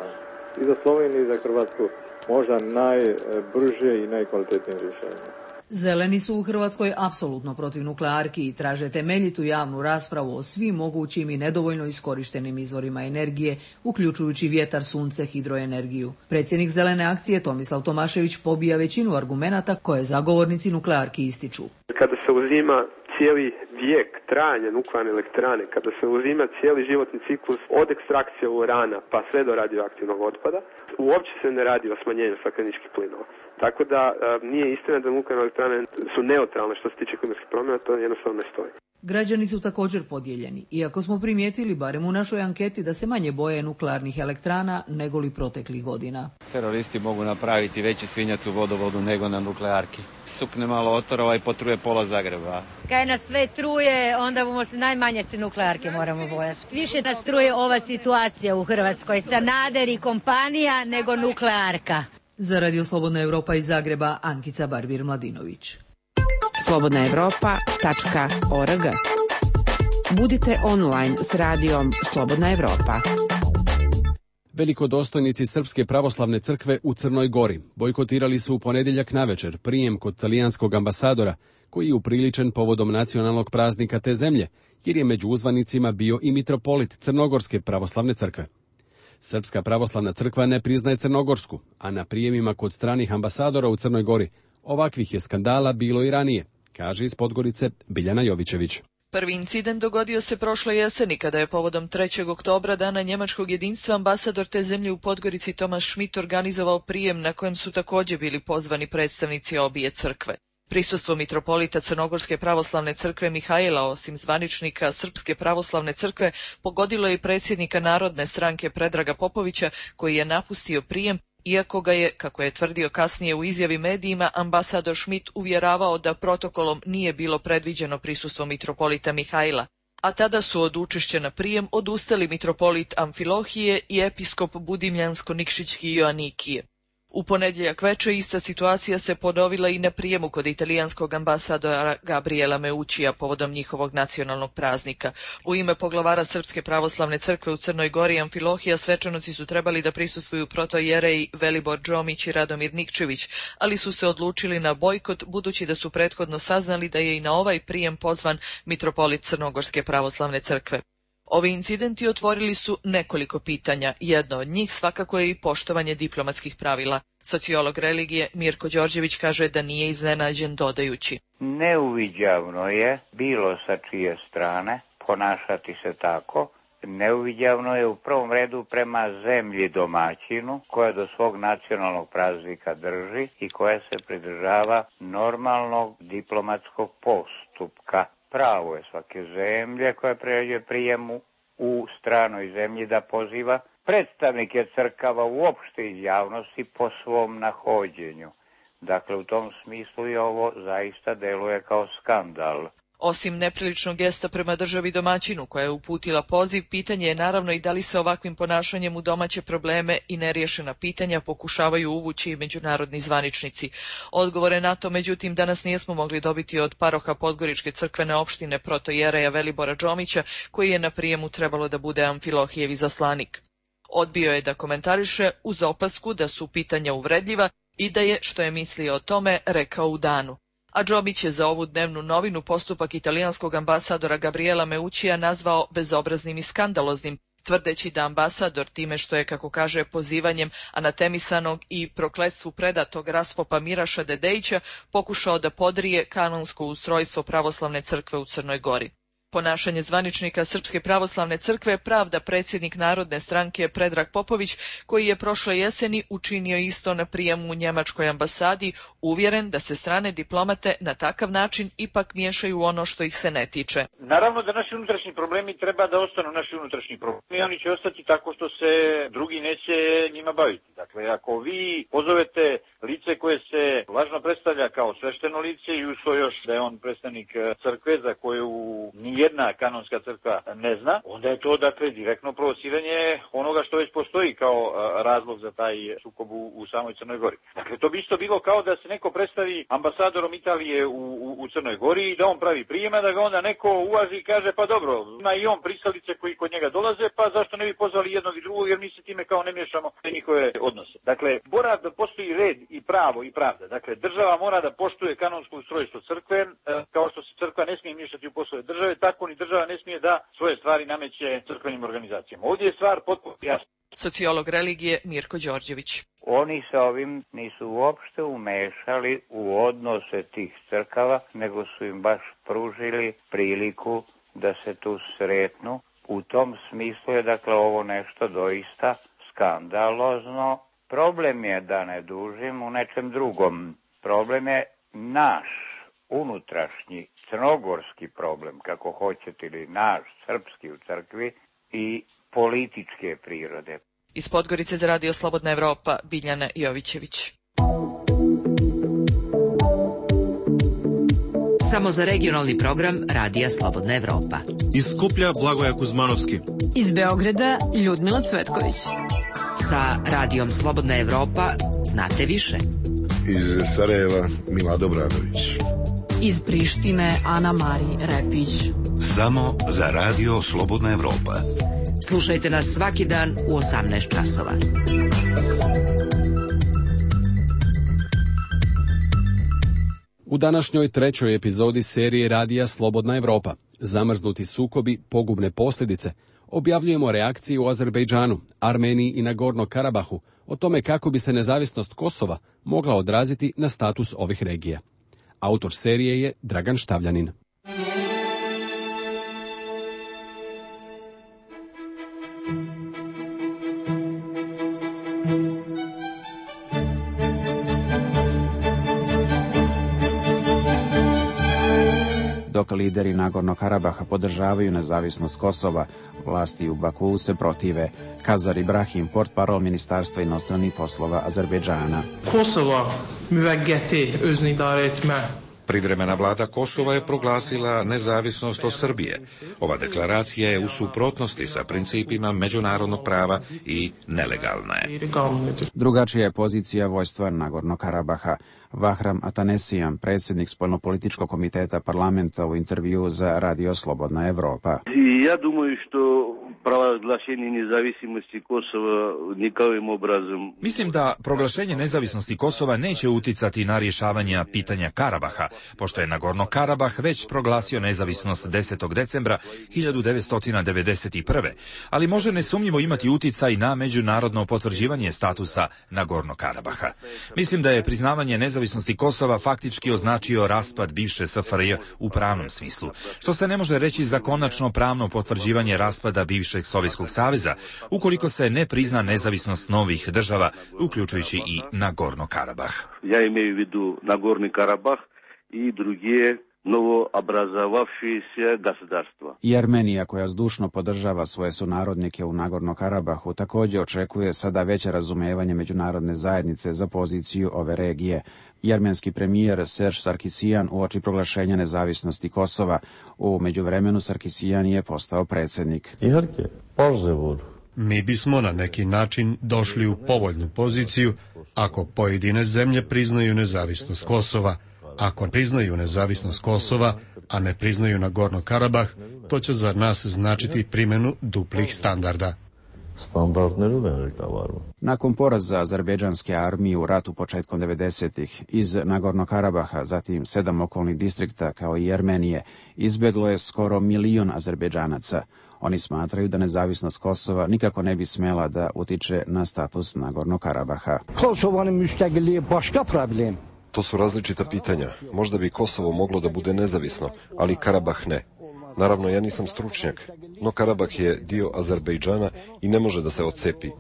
I za Sloveniju i za Hrvatsku možda najbrže i najkvalitetnije rješenje. Zeleni su u Hrvatskoj apsolutno protiv nuklearki i traže temeljitu javnu raspravu o svim mogućim i nedovoljno iskorištenim izvorima energije, uključujući vjetar, sunce, hidroenergiju. Predsjednik Zelene akcije Tomislav Tomašević pobija većinu argumenata koje zagovornici nuklearki ističu. Kada se uzima cijeli vijek trajanja nuklearne elektrane, kada se uzima cijeli životni ciklus od ekstrakcije urana pa sve do radioaktivnog otpada, uopće se ne radi o smanjenju stakleničkih plinova. Tako da nije istina da nuklearne elektrane su neutralne što se tiče klimatskih promjena, to jednostavno ne stoji. Građani su također podijeljeni, iako smo primijetili, barem u našoj anketi, da se manje boje nuklearnih elektrana nego li proteklih godina. Teroristi mogu napraviti veći svinjac u vodovodu nego na nuklearki. Sukne malo otorova i potruje pola Zagreba. Kaj nas sve truje, onda bomo se najmanje se nuklearke moramo bojati. Više nas truje ova situacija u Hrvatskoj, Sanader i kompanija nego nuklearka. Za Radio Slobodna Europa iz Zagreba, Ankica Barbir-Mladinović. slobodnaevropa.org. Budite online s radijom Slobodna Evropa. Velikodostojnici Srpske pravoslavne crkve u Crnoj Gori bojkotirali su u ponedjeljak navečer prijem kod talijanskog ambasadora, koji je upriličen povodom nacionalnog praznika te zemlje, jer je među uzvanicima bio i mitropolit Crnogorske pravoslavne crkve. Srpska pravoslavna crkva ne priznaje crnogorsku, a na prijemima kod stranih ambasadora u Crnoj Gori ovakvih je skandala bilo i ranije, kaže iz Podgorice Biljana Jovićević. Prvi incident dogodio se prošle jeseni kada je povodom 3. oktobra, dana njemačkog jedinstva, ambasador te zemlje u Podgorici Tomaš Schmidt organizovao prijem na kojem su također bili pozvani predstavnici obje crkve. Prisustvo mitropolita Crnogorske pravoslavne crkve Mihajla, osim zvaničnika Srpske pravoslavne crkve, pogodilo je i predsjednika Narodne stranke Predraga Popovića, koji je napustio prijem, iako ga je, kako je tvrdio kasnije u izjavi medijima, ambasador Schmidt uvjeravao da protokolom nije bilo predviđeno prisustvo mitropolita Mihajla. A tada su od učešća na prijem odustali mitropolit Amfilohije i episkop Budimljansko-Nikšićki Joanikije. U ponedjeljak večer ista situacija se ponovila i na prijemu kod italijanskog ambasadora Gabriela Meuccija povodom njihovog nacionalnog praznika. U ime poglavara Srpske pravoslavne crkve u Crnoj Gori Amfilohija svečanosti su trebali da prisustvuju protojereji Velibor Džomić i Radomir Nikčević, ali su se odlučili na bojkot budući da su prethodno saznali da je i na ovaj prijem pozvan mitropolit Crnogorske pravoslavne crkve. Ovi incidenti otvorili su nekoliko pitanja. Jedno od njih svakako je i poštovanje diplomatskih pravila. Sociolog religije Mirko Đorđević kaže da nije iznenađen, dodajući: Neuviđavno je bilo sa čije strane ponašati se tako. Neuviđavno je u prvom redu prema zemlji domaćinu, koja do svog nacionalnog praznika drži i koja se pridržava normalnog diplomatskog postupka. Pravo je svake zemlje koja pređe prijemu u stranoj zemlji da poziva predstavnike crkava uopšte iz javnosti po svom nahođenju. Dakle, u tom smislu i ovo zaista deluje kao skandal. Osim nepriličnog gesta prema državi domaćinu koja je uputila poziv, pitanje je naravno i da li se ovakvim ponašanjem u domaće probleme i neriješena pitanja pokušavaju uvući i međunarodni zvaničnici. Odgovore na to, međutim, danas nismo mogli dobiti od paroha Podgoričke crkvene opštine protojereja Velibora Džomića, koji je na prijemu trebalo da bude Amfilohijev izaslanik. Odbio je da komentariše uz opasku da su pitanja uvredljiva i da je, što je mislio o tome, rekao u danu. A Džomić je za ovu dnevnu novinu postupak italijanskog ambasadora Gabriela Meuccija nazvao bezobraznim i skandaloznim, tvrdeći da ambasador time što je, kako kaže, pozivanjem anatemisanog i prokletstvu predatog raspopa Miraša Dedejića pokušao da podrije kanonsko ustrojstvo pravoslavne crkve u Crnoj Gori. Ponašanje zvaničnika Srpske pravoslavne crkve pravda predsjednik Narodne stranke Predrag Popović, koji je prošle jeseni učinio isto na prijemu u njemačkoj ambasadi, uvjeren da se strane diplomate na takav način ipak miješaju u ono što ih se ne tiče. Naravno da naši unutrašnji problemi treba da ostanu naši unutrašnji problemi, oni će ostati tako što se drugi neće njima baviti. Dakle, ako vi pozovete lice koje se lažno predstavlja kao svešteno lice i uz to još da je on predstavnik crkve za koju nijedna kanonska crkva ne zna, onda je to dakle direktno provociranje onoga što već postoji kao razlog za taj sukob u samoj Crnoj Gori. Dakle, to bi isto bilo kao da se neko predstavi ambasadorom Italije u Crnoj Gori i da on pravi prijema, da ga onda neko uvaži i kaže pa dobro, ima i on pristalice koji kod njega dolaze, pa zašto ne bi pozvali jednog i drugog jer mi se time kao ne miješamo u njihove odnose. Dakle, mora da postoji red i pravo i pravda. Dakle, država mora da poštuje kanonsko ustrojstvo crkve, kao što se crkva ne smije miješati u poslove države, tako ni država ne smije da svoje stvari nameće crkvenim organizacijama. Ovdje je stvar potpuno jasna. Sociolog religije Mirko Đorđević. Oni sa ovim nisu uopšte umešali u odnose tih crkava, nego su im baš pružili priliku da se tu sretnu. U tom smislu je dakle ovo nešto doista skandalozno. Problem je, da ne dužim, u nečem drugom. Problem je naš unutrašnji crnogorski problem, kako hoćete, ili naš srpski u crkvi i političke prirode. Iz Podgorice za Radio Slobodna Evropa, Biljana Jovićević. Samo za regionalni program Radija Slobodna Evropa. Iz Skuplja Blagoja Kuzmanovski. Iz Beograda Ljudmila Cvetković. Sa Radijom Slobodna Evropa znate više. Iz Sarajeva Mila Dobradović. Iz Prištine Ana Mari Repić. Samo za Radio Slobodna Evropa. Slušajte nas svaki dan u 18 časova. U današnjoj trećoj epizodi serije Radija Slobodna Evropa, zamrznuti sukobi, pogubne posljedice, objavljujemo reakcije u Azerbejdžanu, Armeniji i Nagorno Karabahu o tome kako bi se nezavisnost Kosova mogla odraziti na status ovih regija. Autor serije je Dragan Štavljanin. Dok lideri Nagorno Karabaha podržavaju nezavisnost Kosova, vlasti u Bakuu se protive. Kazar Ibrahim, portparol Ministarstva inostranih poslova Azerbejdžana. Kosova müveggeti özünü idare etme. Privremena vlada Kosova je proglasila nezavisnost od Srbije. Ova deklaracija je u suprotnosti sa principima međunarodnog prava i nelegalna je. Drugačija je pozicija vojstva Nagorno Karabaha. Vahram Atanesijan, predsjednik Spoljnopolitičkog komiteta parlamenta, u intervju za Radio Slobodna Evropa. Ja думаю, što proglašenje nezavisnosti Kosova nikakvim obrazom. Mislim da proglašenje nezavisnosti Kosova neće uticati na rješavanje pitanja Karabaha, pošto je Nagorno Karabah već proglasio nezavisnost 10. decembra 1991. Ali može nesumnjivo imati uticaj na međunarodno potvrđivanje statusa Nagorno Karabaha. Mislim da je priznavanje nezavisnosti Kosova faktički označio raspad bivše SFRJ u pravnom smislu, što se ne može reći za konačno pravno potvrđivanje raspada bivšeg Sovjetskog saveza, ukoliko se ne prizna nezavisnost novih država, uključujući i Nagorno Karabah. Ja imaju u vidu Nagorni Karabah i druge novo obrazovavši se gospodarstva. I Armenija, koja zdušno podržava svoje sunarodnike u Nagorno Karabahu, također očekuje sada veće razumevanje međunarodne zajednice za poziciju ove regije. I armenski premijer Serge Sarkisijan uoči proglašenja nezavisnosti Kosova. U međuvremenu Sarkisijan je postao predsjednik. Mi bismo na neki način došli u povoljnu poziciju ako pojedine zemlje priznaju nezavisnost Kosova. Ako priznaju nezavisnost Kosova, a ne priznaju Nagorno Karabah, to će za nas značiti primjenu duplih standarda. Nakon poraza azerbejdžanske armije u ratu početkom 90-ih iz Nagorno Karabaha, zatim 7 okolnih distrikta kao i Armenije, izbjeglo je skoro 1 milion Azerbejdžanaca. Oni smatraju da nezavisnost Kosova nikako ne bi smjela da utiče na status Nagorno Karabaha. To su različita pitanja. Možda bi Kosovo moglo da bude nezavisno, ali Karabah ne. Naravno, ja nisam stručnjak, no Karabah je dio Azerbejdžana i ne može da se odcepi.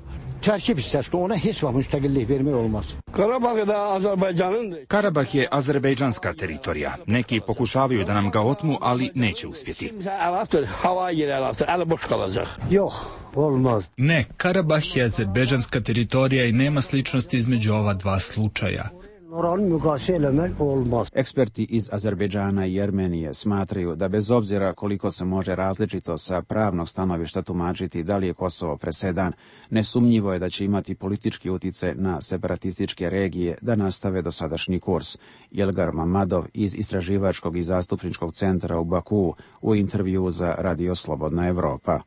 Karabah je azerbejdžanska teritorija. Neki pokušavaju da nam ga otmu, ali neće uspjeti. Ne, Karabah je azerbejdžanska teritorija i nema sličnosti između ova dva slučaja. Eksperti iz Azerbejdžana i Armenije smatraju da bez obzira koliko se može različito sa pravnog stanovišta tumačiti da li je Kosovo presedan, nesumnjivo je da će imati politički utjecaj na separatističke regije da nastave dosadašnji kurs. Jelgar Mamadov iz Istraživačkog i zastupničkog centra u Bakuu u intervju za Radio Slobodna Evropa.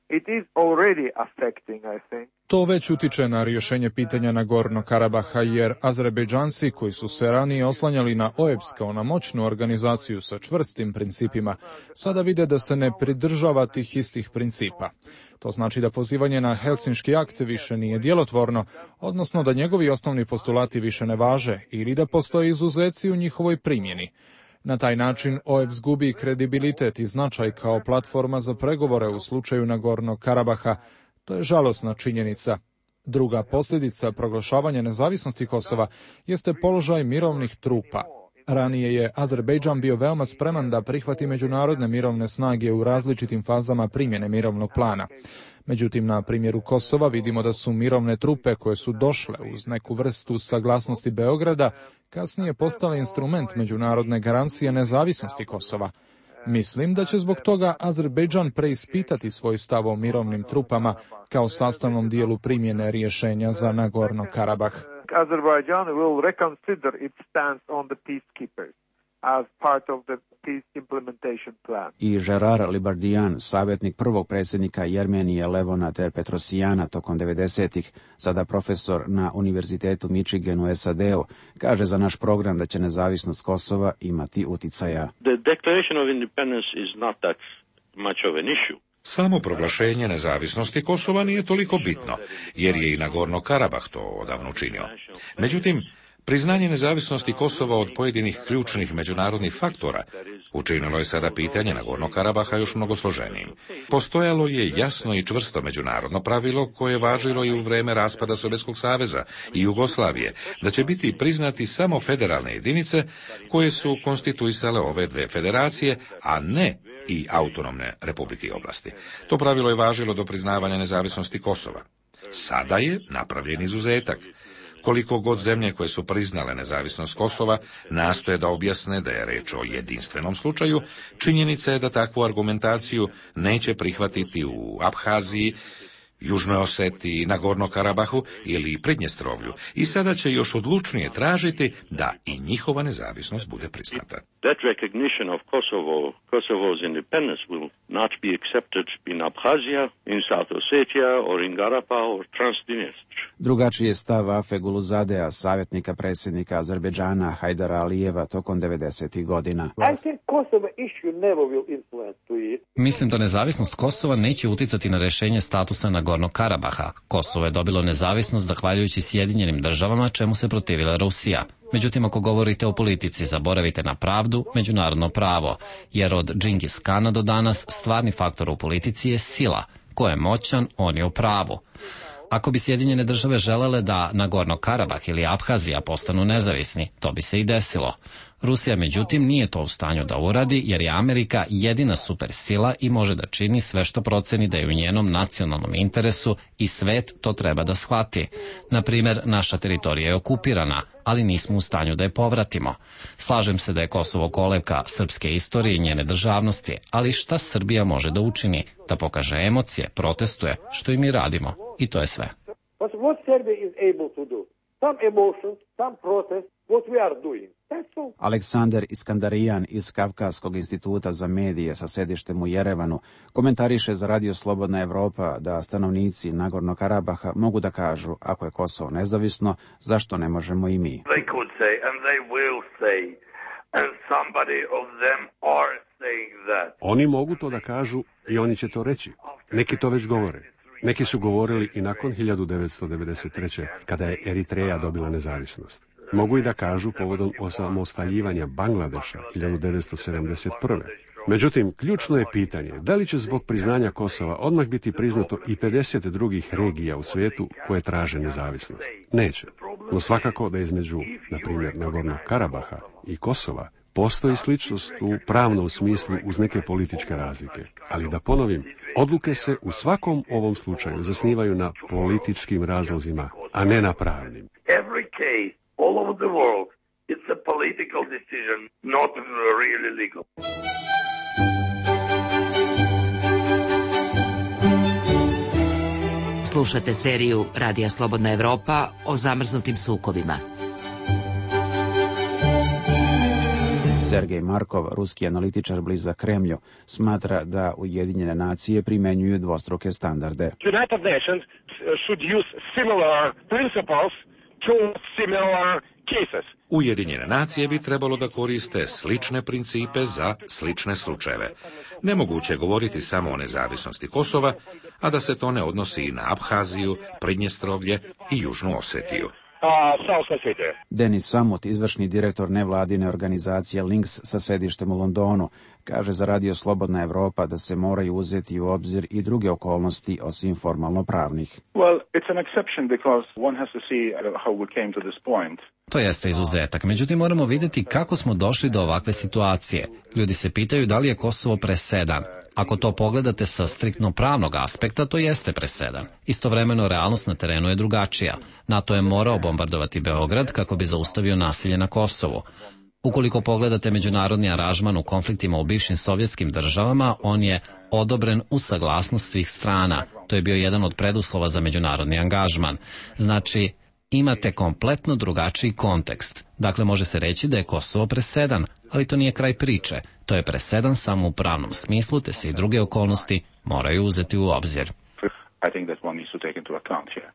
To već utiče na rješenje pitanja Nagorno-Karabaha, jer Azerbejdžanci koji su se ranije oslanjali na OEBS kao na moćnu organizaciju sa čvrstim principima, sada vide da se ne pridržava tih istih principa. To znači da pozivanje na Helsinški akt više nije djelotvorno, odnosno da njegovi osnovni postulati više ne važe ili da postoje izuzeci u njihovoj primjeni. Na taj način OEBS gubi kredibilitet i značaj kao platforma za pregovore u slučaju Nagorno-Karabaha. To je žalosna činjenica. Druga posljedica proglašavanja nezavisnosti Kosova jeste položaj mirovnih trupa. Ranije je Azerbejdžan bio veoma spreman da prihvati međunarodne mirovne snage u različitim fazama primjene mirovnog plana. Međutim, na primjeru Kosova vidimo da su mirovne trupe koje su došle uz neku vrstu saglasnosti Beograda kasnije postale instrument međunarodne garancije nezavisnosti Kosova. Mislim da će zbog toga Azerbejdžan preispitati svoj stav o mirovnim trupama kao sastavnom dijelu primjene rješenja za Nagorno-Karabah. Azerbaijan will reconsider its stance on the peacekeepers as part of the peace implementation plan. I Gerard Libardian, savjetnik prvog predsjednika Armenije Levona T. Petrosijana tokom 90-ih, sada profesor na Univerzitetu Michigan u SAD-u, kaže za naš program da će nezavisnost Kosova imati uticaja. The declaration of independence is not that much of an issue. Samo proglašenje nezavisnosti Kosova nije toliko bitno, jer je i Nagorno-Karabah to odavno učinio. Međutim, priznanje nezavisnosti Kosova od pojedinih ključnih međunarodnih faktora učinilo je sada pitanje Nagorno-Karabaha još mnogo složenijim. Postojalo je jasno i čvrsto međunarodno pravilo koje je važilo i u vrijeme raspada Sovjetskog saveza i Jugoslavije, da će biti priznati samo federalne jedinice koje su konstituisale ove dve federacije, a ne i autonomne republike i oblasti. To pravilo je važilo do priznavanja nezavisnosti Kosova. Sada je napravljen izuzetak. Koliko god zemlje koje su priznale nezavisnost Kosova nastoje da objasne da je reč o jedinstvenom slučaju, činjenica je da takvu argumentaciju neće prihvatiti u Abhaziji, Južnoj Osetiji, Nagorno-Karabahu ili Pridnjestrovlju i sada će još odlučnije tražiti da i njihova nezavisnost bude priznata. That recognition of Kosovo's independence will not be accepted in Abkhazia, in South Ossetia or in Garapa or Transdnestr. Drugačiji je stav Afe Guluzadea, savjetnika predsjednika Azerbejdžana Hajdara Alijeva tokom 90-ih godina. Mislim da nezavisnost Kosova neće uticati na rješenje statusa Nagorno-Karabaha. Kosovo je dobilo nezavisnost zahvaljujući Sjedinjenim državama, čemu se protivila Rusija. Međutim, ako govorite o politici, zaboravite na pravdu, međunarodno pravo, jer od Džingis Kana do danas stvarni faktor u politici je sila. Ko je moćan, on je u pravu. Ako bi Sjedinjene države želele da Nagorno-Karabah ili Abhazija postanu nezavisni, to bi se i desilo. Rusija, međutim, nije to u stanju da uradi, jer je Amerika jedina supersila i može da čini sve što proceni da je u njenom nacionalnom interesu i svet to treba da shvati. Na primjer, naša teritorija je okupirana, ali nismo u stanju da je povratimo. Slažem se da je Kosovo kolevka srpske istorije i njene državnosti, ali šta Srbija može da učini? Da pokaže emocije, protestuje, što i mi radimo. I to je sve. What Serbia is able to do? Some emotions, some protest, what we are doing. Aleksandar Iskandarijan iz Kavkaskog instituta za medije sa sedištem u Jerevanu komentariše za Radio Slobodna Evropa da stanovnici Nagorno-Karabaha mogu da kažu ako je Kosovo nezavisno, zašto ne možemo i mi. They could say and they will say and somebody of them are saying that. Oni mogu to da kažu i oni će to reći. Neki to već govore. Neki su govorili i nakon 1993. kada je Eritreja dobila nezavisnost. Mogu i da kažu povodom osamostaljivanja Bangladeša 1971. Međutim, ključno je pitanje da li će zbog priznanja Kosova odmah biti priznato i 50 drugih regija u svijetu koje traže nezavisnost. Neće. No svakako da između, na primjer, Nagornog Karabaha i Kosova postoji sličnost u pravnom smislu uz neke političke razlike. Ali da ponovim, odluke se u svakom ovom slučaju zasnivaju na političkim razlozima, a ne na pravnim. Every case, all over the world, it's a political decision, not really legal. Slušate seriju Radija Slobodna Evropa o zamrznutim sukobima. Sergej Markov, ruski analitičar blizak Kremlju, smatra da Ujedinjene nacije primenjuju dvostruke standarde. United Nations should use similar principles to similar cases. Ujedinjene nacije bi trebalo da koriste slične principe za slične slučajeve. Nemoguće je govoriti samo o nezavisnosti Kosova, a da se to ne odnosi i na Abhaziju, Pridnjestrovlje i Južnu Osetiju. Denis Samut, izvršni direktor nevladine organizacije Links sa sedištem u Londonu, kaže za Radio Slobodna Evropa da se moraju uzeti u obzir i druge okolnosti osim formalno pravnih. To jeste izuzetak, međutim moramo vidjeti kako smo došli do ovakve situacije. Ljudi se pitaju da li je Kosovo presedan. Ako to pogledate sa striktno pravnog aspekta, to jeste presedan. Istovremeno, realnost na terenu je drugačija. NATO je morao bombardovati Beograd kako bi zaustavio nasilje na Kosovu. Ukoliko pogledate međunarodni aranžman u konfliktima u bivšim sovjetskim državama, on je odobren uz saglasnost svih strana. To je bio jedan od preduslova za međunarodni angažman. Znači, imate kompletno drugačiji kontekst. Dakle, može se reći da je Kosovo presedan, ali to nije kraj priče. To je presedan samo u pravnom smislu, te se i druge okolnosti moraju uzeti u obzir.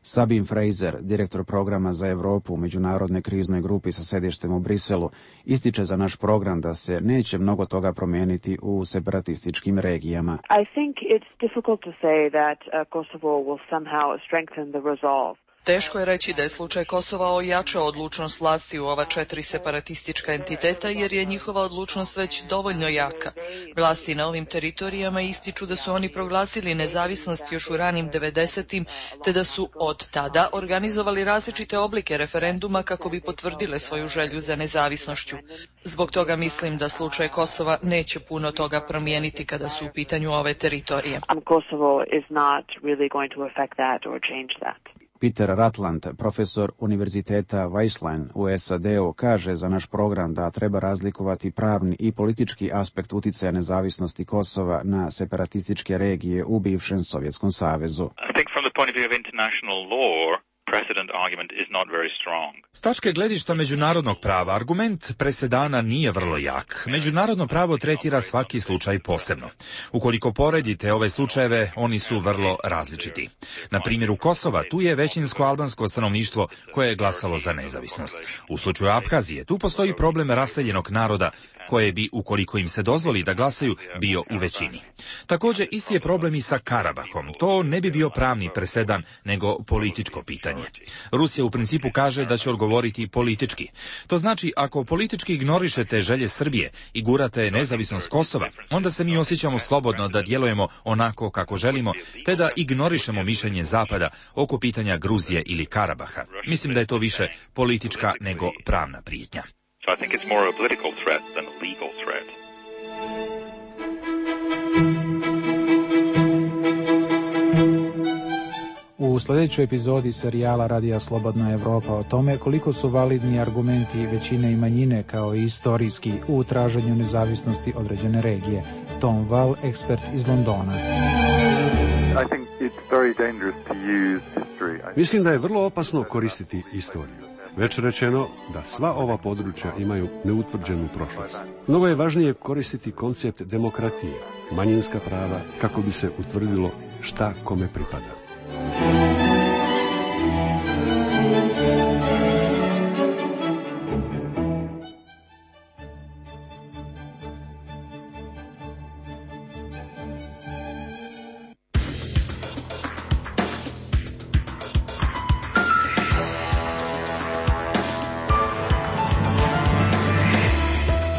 Sabine Fraser, direktor programa za Evropu u međunarodnoj kriznoj grupi sa sedištem u Briselu, ističe za naš program da se neće mnogo toga promijeniti u separatističkim regijama. I think it's difficult to say that Kosovo will somehow strengthen the resolve. Teško je reći da je slučaj Kosova ojačao odlučnost vlasti u ova 4 separatistička entiteta jer je njihova odlučnost već dovoljno jaka. Vlasti na ovim teritorijama ističu da su oni proglasili nezavisnost još u ranim 90-im, te da su od tada organizovali različite oblike referenduma kako bi potvrdile svoju želju za nezavisnošću. Zbog toga mislim da slučaj Kosova neće puno toga promijeniti kada su u pitanju ove teritorije. Kosovo is not really going to affect that or change that. Peter Ratland, profesor Univerziteta Weisslein u SAD-u, kaže za naš program da treba razlikovati pravni i politički aspekt uticaja nezavisnosti Kosova na separatističke regije u bivšem Sovjetskom savezu. S tačke gledišta međunarodnog prava, argument presedana nije vrlo jak. Međunarodno pravo tretira svaki slučaj posebno. Ukoliko poredite ove slučajeve, oni su vrlo različiti. Na primjeru Kosova, tu je većinsko albansko stanovništvo koje je glasalo za nezavisnost. U slučaju Abhazije, tu postoji problem raseljenog naroda, koje bi, ukoliko im se dozvoli da glasaju, bio u većini. Također, isti je problem i sa Karabahom. To ne bi bio pravni presedan, nego političko pitanje. Rusija u principu kaže da će odgovoriti politički. To znači, ako politički ignorišete želje Srbije i gurate nezavisnost Kosova, onda se mi osjećamo slobodno da djelujemo onako kako želimo, te da ignorišemo mišljenje Zapada oko pitanja Gruzije ili Karabaha. Mislim da je to više politička nego pravna prijetnja. So I think it's more a political threat than a legal threat. U sljedećoj epizodi serijala Radija Slobodna Evropa o tome koliko su validni argumenti većine i manjine kao i istorijski u traženju nezavisnosti određene regije. Tom Wall, ekspert iz Londona. Mislim da je vrlo opasno koristiti istoriju. Već rečeno da sva ova područja imaju neutvrđenu prošlost. Mnogo je važnije koristiti koncept demokratije, manjinska prava, kako bi se utvrdilo šta kome pripada.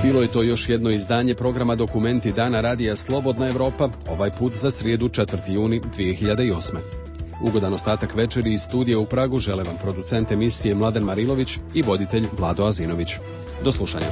Bilo je to još jedno izdanje programa Dokumenti Dana Radija Slobodna Evropa, ovaj put za srijedu 4. juni 2008. Ugodan ostatak večeri iz studija u Pragu žele vam producent emisije Mladen Marilović i voditelj Vlado Azinović. Do slušanja.